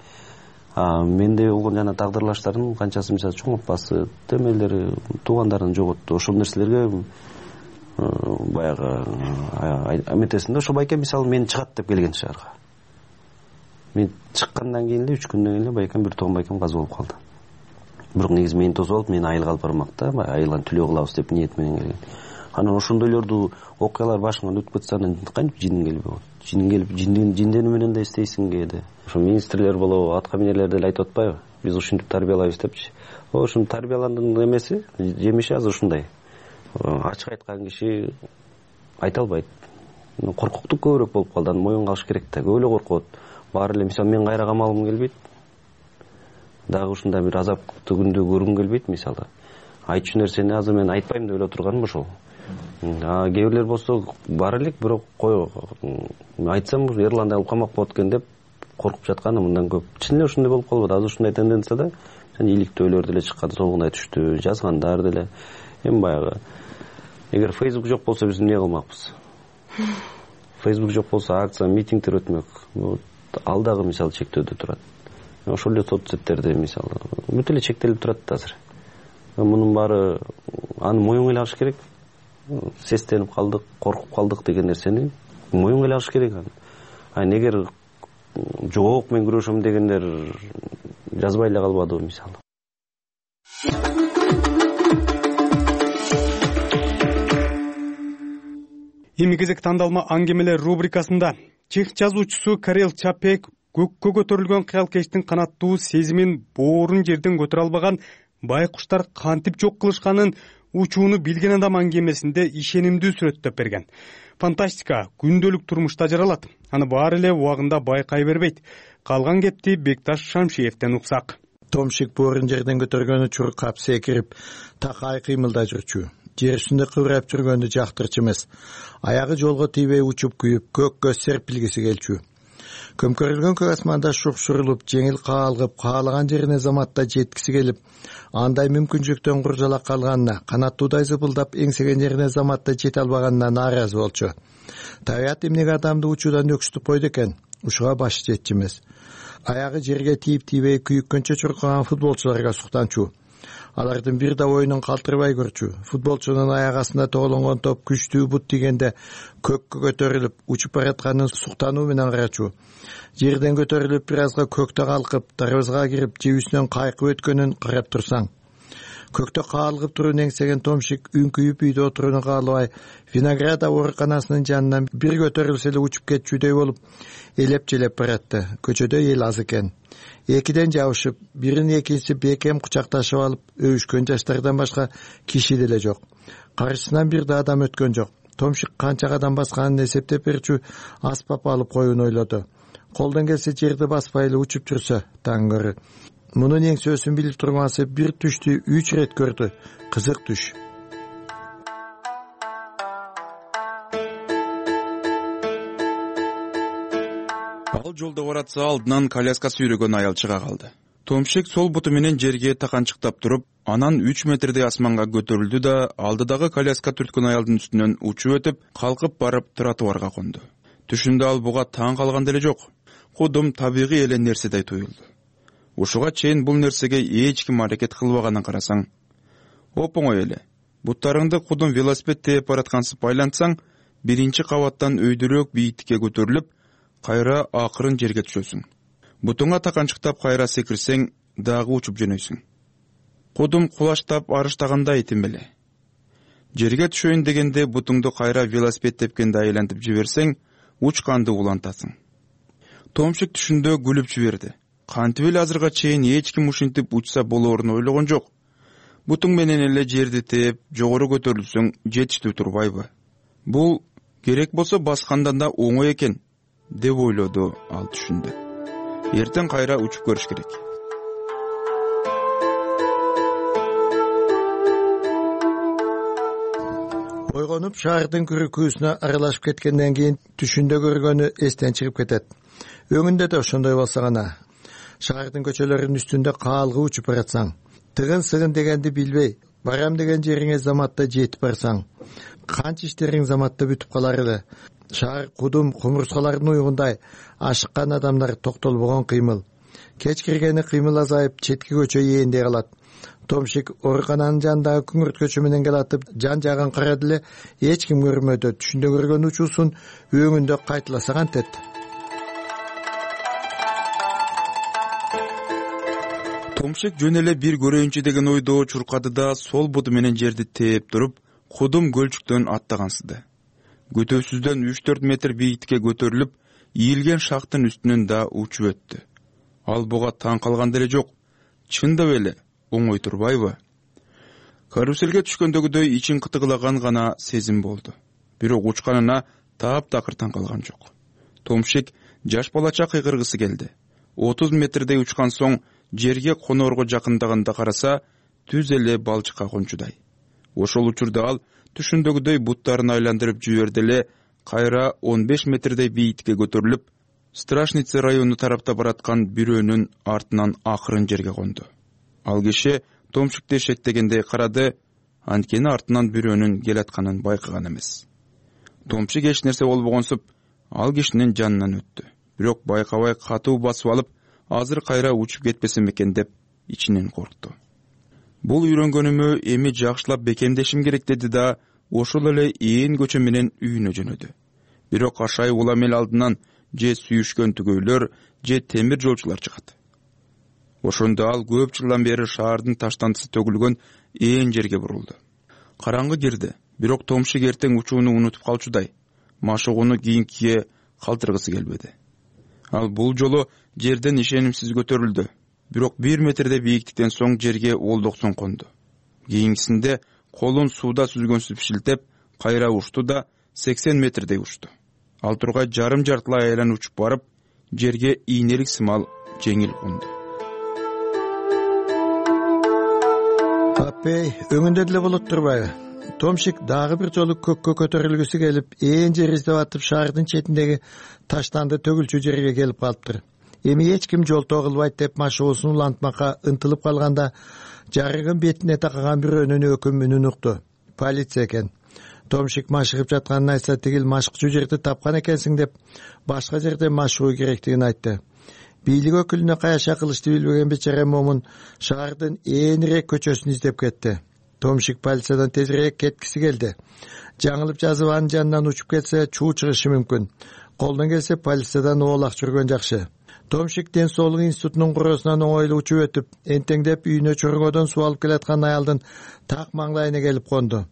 Менде болгон жана тагдырлаштардын канчасы мисалы чоң апасы, темелери, туугандарын жоготту. Ошол нерселерге баягы эметесиң да. Ошо байкем мисалы мен чыгат деп келген шаарга. Мен чыккандан кийин эле 3 күндөн кийин эле байкем бир тууган байкем каза болуп калды. Бирок негизи мени тосуп алып, мени айылга алып бармак да, айылган түлөө кылабыз деп ниет менен келген. Анан ошондойлорду окуялар башыңан өтүп кетсе, анан кантип жиниң келбей болот? Жиниң келип, жинденүү менен да эстейсиң кээде. Ошо министрлер болобу, атка минерлер деле айтып атпайбы? Биз ушинтип тарбиялайбыз депчи. Ошону тарбияландын эмеси, жемиши азыр ушундай. Ачык айткан киши айта албайт. Коркуктук көбүрөөк болуп калды. Анан моюнга алыш керек да. Көп эле коркот. Баары эле мисалы мен кайра камалгым келбейт. Дагы ушундай бир азаптуу күндү көргүм келбейт мисалы. Айтчу нерсени азыр мен айтпайм деп эле отурганым ошол. Кээ бирлер болсо бар элек, бирок кой айтсам Эрландай алып камак болот экен деп коркуп жатканы мындан көп. Чын эле ошондой болуп калбады. Азыр ушундай тенденция да. Жана иликтөөлөр деле чыккан, солгундай түштү, жазгандар деле. Эми баягы эгер Facebook жок болсо биз эмне кылмакпыз? Facebook жок болсо акция, митингдер өтмөк. Ал дагы мисалы чектөөдө турат. Ошол эле соцсеттерде мисалы бүт эле чектелип турат да азыр. Мунун баары аны моюнга эле алыш керек. Сестенип калдык, коркуп калдык деген нерсени моюнга эле алыш керек. Эгер жок мен күрөшөм дегендер жазбай эле калбадыбы мисалы. Эми кезек тандалма аңгемелер рубрикасында чех жазуучусу Карел Чапек көккө көтөрүлгөн кыялкечтин канаттуу сезимин боорун жерден көтөрө албаган байкуштар кантип жок кылышканын учууну билген адам аңгемесинде ишенимдүү сүрөттөп берген. Фантастика күндөлүк турмушта жаралат. Аны баары эле убагында байкай бербейт. Калган кепти Бекташ Шамшиевден уксак. Томшик боорун жерден көтөргөнү чуркап секирип, такай кыймылдай жүрчү. Жер үстүндө кыбырайып жүргөндү жактырчу эмес. Аягы жолго тийбей учуп күйүп, көккө серпилгиси келчү. Көмкөрүлгөн көк асманда шуршурулуп, жеңил каалгып, каалаган жерине заматта жеткиси келип, андай мүмкүнчүлүктөн куржала калганына, канаттуудай зыпылдап эңсеген жерине заматта жете албаганына нааразы болчу. Табият эмнеге адамды учуудан өксүтүп койду экен? Ушуга башы жетчү эмес. Аягы жерге тийип-тийбей күйүккөнчө чуркаган футболчуларга суктанчу. Алардын бир да оюнун калтырбай көрчү. Футболчунун аяк астында тоголонгон топ күчтүү бут тийгенде көккө көтөрүлүп, учуп баратканын суктануу менен карачу. Жерден көтөрүлүп, бир азга көктө калкып, дарбазага кирип, жебүсүнөн кайкып өткөнүн карап турсаң. Көктө каалгып турууну эңсеген Томшик үңкүйүп үйдө отурууну каалабай, Винограда ооруканасынын жанынан бир көтөрүлсө эле учуп кетчүдөй болуп, элеп-желеп баратты. Көчөдө эл аз экен. Экиден жабышып, бирин экинчиси бекем кучакташып алып, өбүшкөн жаштардан башка киши деле жок. Каршысынан бир да адам өткөн жок. Томшик канча кадам басканын эсептеп берчү, аспап алып коюуну ойлоду. Колдон келсе жерди баспай эле учуп жүрсө таң көрө. Мунун эңсөөсүн билип тургансы бир түштү 3 рет көрдү. Кызык түш. Ал жолдо баратса алдынан коляска сүйрөгөн аял чыга калды. Томшик сол буту менен жерге таканчыктап туруп, анан 3 метрдей асманга көтөрүлдү да алдыдагы коляска түрткөн аялдын үстүнөн учуп өтүп, калкып барып тротуарга конду. Түшүндө ал буга таң калган деле жок. Кудум табигый эле нерседей туюлду. Ушуга чейин бул нерсеге эч ким аракет кылбаганын карасаң, оп-оңой эле. Буттарыңды кудум велосипед тээп бараткансып байлантсаң, биринчи кабаттан өйдөрөөк бийиктикке көтөрүлүп, кайра акырын жерге түшөсүң. Бутуңа таканчыктап кайра секирсең, дагы учуп жөнөйсүң. Кудум кулаштап арыштагандай этим эле. Жерге түшөйүн дегенде бутуңду кайра велосипед тепкенде айлантып жиберсең, учканды улантасың. Томшик түшүндө күлүп жиберди. Кантип эле азырга чейин эч ким ушинтип учса болоорун ойлогон жок. Бутуң менен эле жерди теп, жогору көтөрүлсөң жетиштүү турбайбы? Бул керек болсо баскандан да оңой экен, деп ойлоду ал түшүндө. Эртең кайра учуп көрүш керек. Ойгонуп шаардын күрүкүүсүнө аралашып кеткенден кийин түшүндө көргөнү эстен чыгып кетет. Өңүндө да ошондой болсо гана. Шаардын көчөлөрүнүн үстүндө каалгы учуп баратсаң, тыгын-сыгын дегенди билбей, барам деген жериңе заматта жетип барсаң, канча иштериң заматта бүтүп калар эле. Шаар кудум кумурскалардын уйгундай ашыккан адамдар токтолбогон кыймыл. Кеч киргени кыймыл азайып, четки көчө ээндей калат. Томшик оорукананын жанындагы күңүрткөчө менен келатып, жан жагын карады эле, эч ким көрмөдү. Түшүндө көргөн учуусун өңүндө кайталаса кантет. Томшик жөн эле бир көрөйүнчү деген ойдо чуркады да сол буту менен жерди тээп туруп, кудум көлчүктөн аттагансыды. Көтөсүздөн 3-4 метр бийиктикке көтөрүлүп, ийилген шахтын үстүнөн да учуп өттү. Ал буга таң калган деле жок. Чындап эле оңой турбайбы? Каруселге түшкөндөгүдөй ичин кытыгылаган гана сезим болду. Бирок учканына таптакыр таң калган жок. Томшик жаш балача кыйкыргысы келди. 30 метрдей учкан соң жерге коноорго жакындаганда караса, түз эле балчыкка кончудай. Ошол учурда ал түшүндөгүдөй буттарын айландырып жиберди эле, кайра 15 метрдей бийиктикке көтөрүлүп, Страшница району тарапта бараткан бирөөнүн артынан акырын жерге конду. Ал киши Томшикти шектегендей карады, анткени артынан бирөөнүн келатканын байкаган эмес. Томшик эч нерсе болбогонсуп, ал кишинин жанынан өттү. Бирок байкабай катуу басып алып, азыр кайра учуп кетпесем экен деп ичинен коркту. Бул үйрөнгөнүмө эми жакшылап бекемдешим керек деди да, ошол эле ээн көчө менен үйүнө жөнөдү. Бирок ашай улам эл алдынан же сүйүшкөн түгөйлөр, же темир жолчулар чыгат. Ошондо ал көп жылдан бери шаардын таштандысы төгүлгөн ээн жерге бурулду. Караңгы кирди, бирок Томшик эртең учууну унутуп калчудай, машыгууну кийинкиге калтыргысы келбеди. Ал бул жолу жерден ишенимсиз көтөрүлдү, бирок 1 метрдей бийиктиктен соң жерге олдоксон конду. Кийинкисинде колун сууда сүзгөнсүп шилтеп, кайра учту да 80 метрдей учту. Ал тургай жарым жартылай айланып учуп барып, жерге ийнелик сымал жеңил конду. Аппей, өңүндө деле болот турбайбы? Томшик дагы бир жолу көккө көтөрүлгүсү келип, ээн жер издеп атып, шаардын четиндеги таштанды төгүлчү жерге келип калыптыр. Эми эч ким жолтоо кылбайт деп машыгуусун улантмакка ынтылып калганда, жарыгын бетине такаган бирөөнүн өкүм үнүн укту. Полиция экен. Томшик машыгып жатканын айтса, тигил машыкчу жерди тапкан экенсиң деп, башка жерде машыгуу керектигин айтты. Бийлик өкүлүнө каяша кылышты билбеген бечара момун шаардын ээнирээк көчөсүн издеп кетти. Томшик полициядан тезирээк кеткиси келди. Жаңылып жазып анын жанынан учуп кетсе, чуу чыгышы мүмкүн. Колдон келсе полициядан оолак жүргөн жакшы. Томшик ден соолук институтунун куроосунан оңойлуу учуп өтүп, энтеңдеп үйүнө чоргоодон суу алып келаткан аялдын так маңдайына келип конду.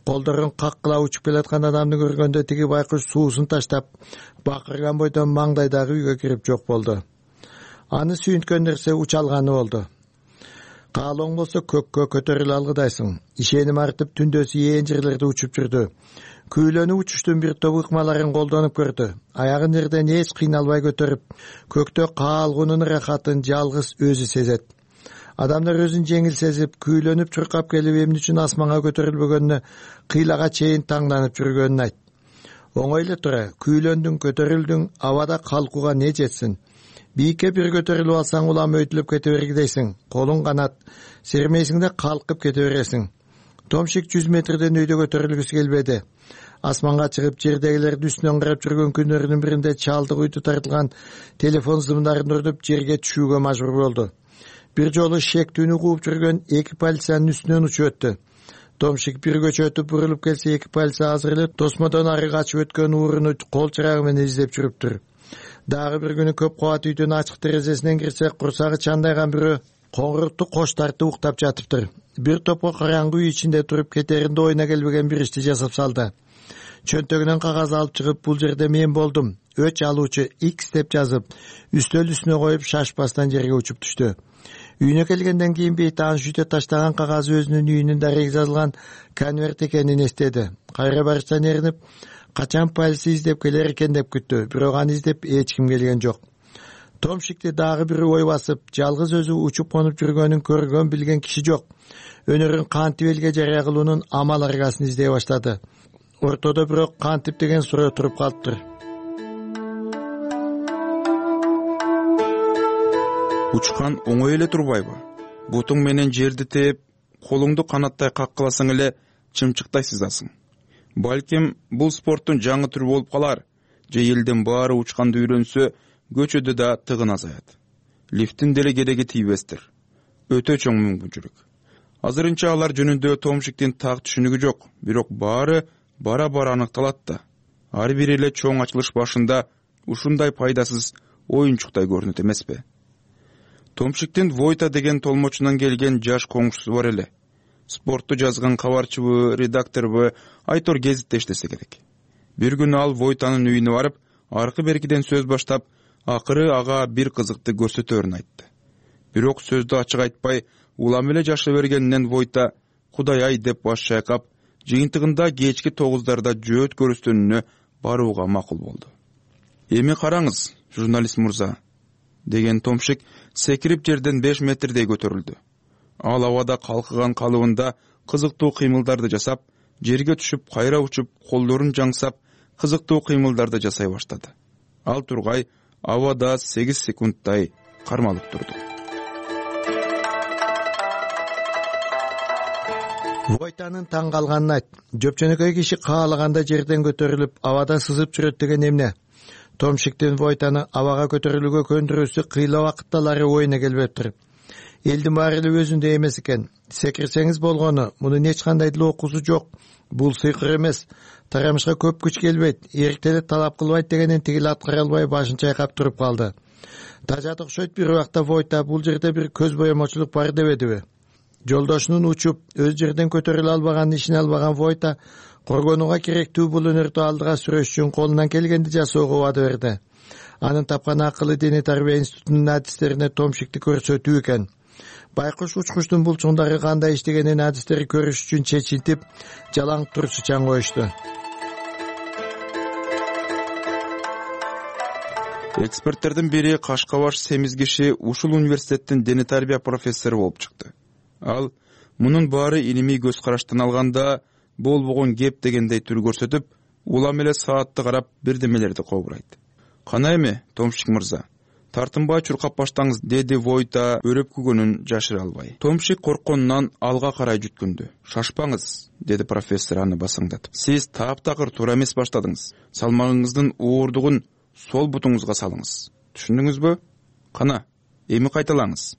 Колдорун каккыла учуп келаткан адамды көргөндө тиги байкуш суусун таштап, бакырган бойдон маңдайдагы үйгө кирип жок болду. Аны сүйүнткөн нерсе учалганы болду. Каалооң болсо көккө көтөрүлө алгыдайсың. Ишеним артып түндөсү ээн жерлерде учуп жүрдү. Күйлөнүп учуштун бир топ ыкмаларын колдонуп көрдү. Аягын жерден эч кыйналбай көтөрүп, көктө каалгуунун рахатын жалгыз өзү сезет. Адамдар өзүн жеңил сезип, күйлөнүп чуркап келип, эмне үчүн асманга көтөрүлбөгөнүнө кыйлага чейин таңданып жүргөнүн айт. Оңой эле тура, күйлөндүң, көтөрүлдүң, абада калкууга не жетсин? Бийикке бир көтөрүлүп алсаң, улам өйтүлүп кете бергидейсиң. Колуң канат, сермейсиң да калкып кете бересиң. Томшик 100 метрден өйдө көтөрүлгүсү келбеди. Асманга чыгып, жердегилердин үстүнөн карап жүргөн күндөрүнүн биринде чалдык үйдү тартылган телефон зымдарын урдуп жерге түшүүгө мажбур болду. Бир жолу шектүүнү кууп жүргөн 2 полициянын үстүнөн учуп өттү. Томшик бир көчө өтүп бурулуп келсе, 2 полиция азыр эле тосмодон ары качып өткөн ууруну кол чырагы менен издеп жүрүптүр. Дагы бир күнү көп кабат үйдүн ачык терезесинен кирсе, курсагы чандайган бирөө коңурукту кош тартып уктап жатыптыр. Бир топко караңгы үй ичинде туруп кетеринде оюна келбеген бир ишти жасап салды. Чөнтөгүнөн кагаз алып чыгып, бул жерде мен болдум, өч алуучу X деп жазып, үстөл үстүнө коюп шашпастан жерге учуп түштү. Үйүнө келгенден кийин бейтаан шүйтө таштаган кагазы өзүнүн үйүнүн дареги жазылган конверт экенин эстеди. Кайра барыштан эринип, качан полиция издеп келер экен деп күттү, бирок аны издеп эч ким келген жок. Томшикти дагы бир ой басып, жалгыз өзү учуп конуп жүргөнүн көргөн билген киши жок. Өнөрүн кантип элге жарыя кылуунун амал аргасын издей баштады. Ортодо бирок кантип деген суроо туруп калыптыр. Учкан оңой эле турбайбы? Бутуң менен жерди тээп, колуңду канаттай каккыласаң эле чымчыктай сызасың. Балким бул спорттун жаңы түрү болуп калар, же элдин баары учканды үйрөнсө, көчөдө да тыгын азаят. Лифттин деле кереги тийбестир. Өтө чоң мүмкүнчүлүк. Азырынча алар жөнүндө Томшиктин так түшүнүгү жок, бирок баары бара-бара аныкталат да. Ар бири эле чоң ачылыш башында ушундай пайдасыз оюнчуктай көрүнөт эмеспи? Томшиктин Войта деген толмочунан келген жаш коңшусу бар эле. Спортту жазган кабарчыбы, редакторбу, Айтор гезитте иштесе керек. Бир күнү ал Войтанын үйүнө барып, аркы-беркиден сөз баштап, акыры ага бир кызыкты көрсөтөрүн айтты. Бирок сөздү ачык айтпай, улам эле жаша бергенинен Войта Кудай-ай деп баш чайкап, жыйынтыгында кечки 9дарда жөөт көрүстөнүнө барууга макул болду. Эми караңыз, журналист мырза, деген Томшик секирип жерден 5 метрдей көтөрүлдү. Ал абада калкыган калыбында кызыктуу кыймылдарды жасап, жерге түшүп, кайра учуп, колдорун жаңсап, кызыктуу кыймылдарды жасай баштады. Ал тургай абада 8 секундтай кармалып турду. Войтанын таң калганын айт. Жөпчөнөкөй киши каалаганда жерден көтөрүлүп, абада сызып жүрөт деген эмне? Томшиктин Войтаны абага көтөрүлүүгө көндүрүүсү кыйла убакытталары оюна келбептир. Элдин баары эле өзүндө эмес экен. Секирсеңиз болгону, мунун эч кандай деле окуусу жок. Бул сыйкыр эмес. Тарамышка көп күч келбейт, эрктеле талап кылбайт дегенин тигил аткара албай башын чайкап туруп калды. Тажат окшойт бир убакта Войта бул жерде бир көз боемочулук бар дебедиби? Жолдошунун учуп, өз жерден көтөрүлө албаганын ишине албаган Войта коргонууга керектүү бул өнөрдү алдыга сүрөш үчүн колунан келгенди жасоого убада берди. Анын тапкан акылы дене тарбия институтунун адистерине Томшикти көрсөтүү экен. Байкуш учкучтун булчуңдары кандай иштегенин адистери көрүш үчүн чечилтип, жалаң турсучан коюшту. Эксперттердин бири Кашкабаш семиз киши ушул университеттин дене тарбия профессору болуп чыкты. Ал мунун баары илимий көз караштан алганда болбогон кеп дегендей түр көрсөтүп, улам эле саатты карап бирдемелерди кобурайт. Кана эми, Томшик мырза, тартынбай чуркап баштаңыз, деди Войта өрөпкүгөнүн жашыра албай. Томшик коркконунан алга карай жүткүндү. Шашпаңыз, деди профессор аны басаңдатып. Сиз таптакыр туура эмес баштадыңыз. Салмагыңыздын уурдугун сол бутуңузга салыңыз. Түшүндүңүзбү? Кана, эми кайталаңыз.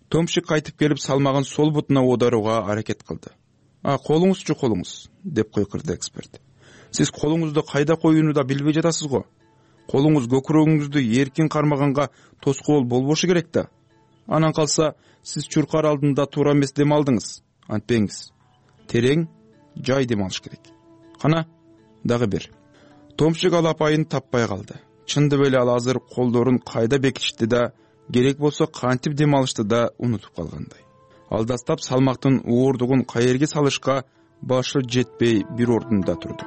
Томшик кайтып келип салмагын сол бутуна оодарууга аракет кылды. Колуңузчу колуңуз, деп койкурду эксперт. Сиз колуңузду кайда коюуну да билбей жатасыз го. Колуңуз көкүрөгүңүздү эркин кармаганга тоскоол болбошу керек да. Анан калса, сиз чуркар алдында туура эмес дем алдыңыз. Антпеңиз. Терең, жай дем алыш керек. Кана, дагы бир. Томшик ал апайын таппай калды. Чындап эле ал азыр колдорун кайда бекитишти да, керек болсо кантип дем алышты да унутуп калгандай. Алдастап салмактын уурдугун каерге салышка башы жетпей бир ордунда турду.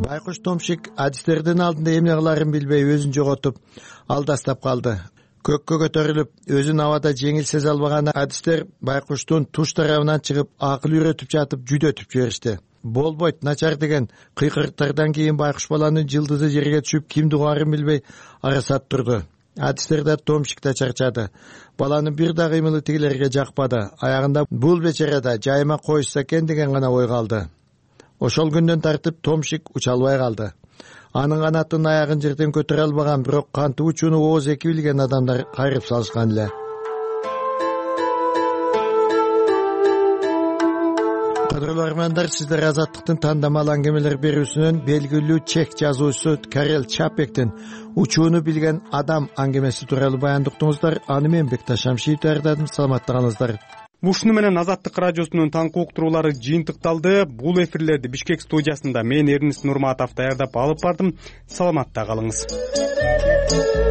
Байкуш Томшик адистердин алдында эмне кыларын билбей өзүн жоготуп, алдастап калды. Көккө көтөрүлүп, өзүн абада жеңил сезе албаган адистер Байкуштун туш тарабынан чыгып, акыл үйрөтүп жатып, жүдөтүп жиберишти. Болбойт, начар деген кыйкырыктардан кийин Байкуш баланын жылдызы жерге түшүп, кимди угарын билбей арасат турду. Адистер да Томшик да чарчады. Баланын бир да кыймылы тигилерге жакпады. Аягында бул бечара да жайма коюшса экен деген гана ой калды. Ошол күндөн тартып Томшик уча албай калды. Анын канатын аягын жерден көтөрө албаган, бирок кантип учууну ооз эки билген адамдар кайрып салышкан эле. кадырлуу армандар, сиздер Азаттыктын тандамал аңгемелер берүүсүнөн белгилүү чех жазуучусу Карел Чапектин учууну билген адам аңгемеси тууралуу баяндыктыңыздар. Аны мен Бекташ Шамшиев даярдадым. Саламатта калыңыздар. Ушуну менен Азаттык радиосунун таңкы уктуруулары жыйынтыкталды. Бул эфирлерди Бишкек студиясында мен Эрнис Нурматов даярдап алып бардым. Саламатта калыңыз.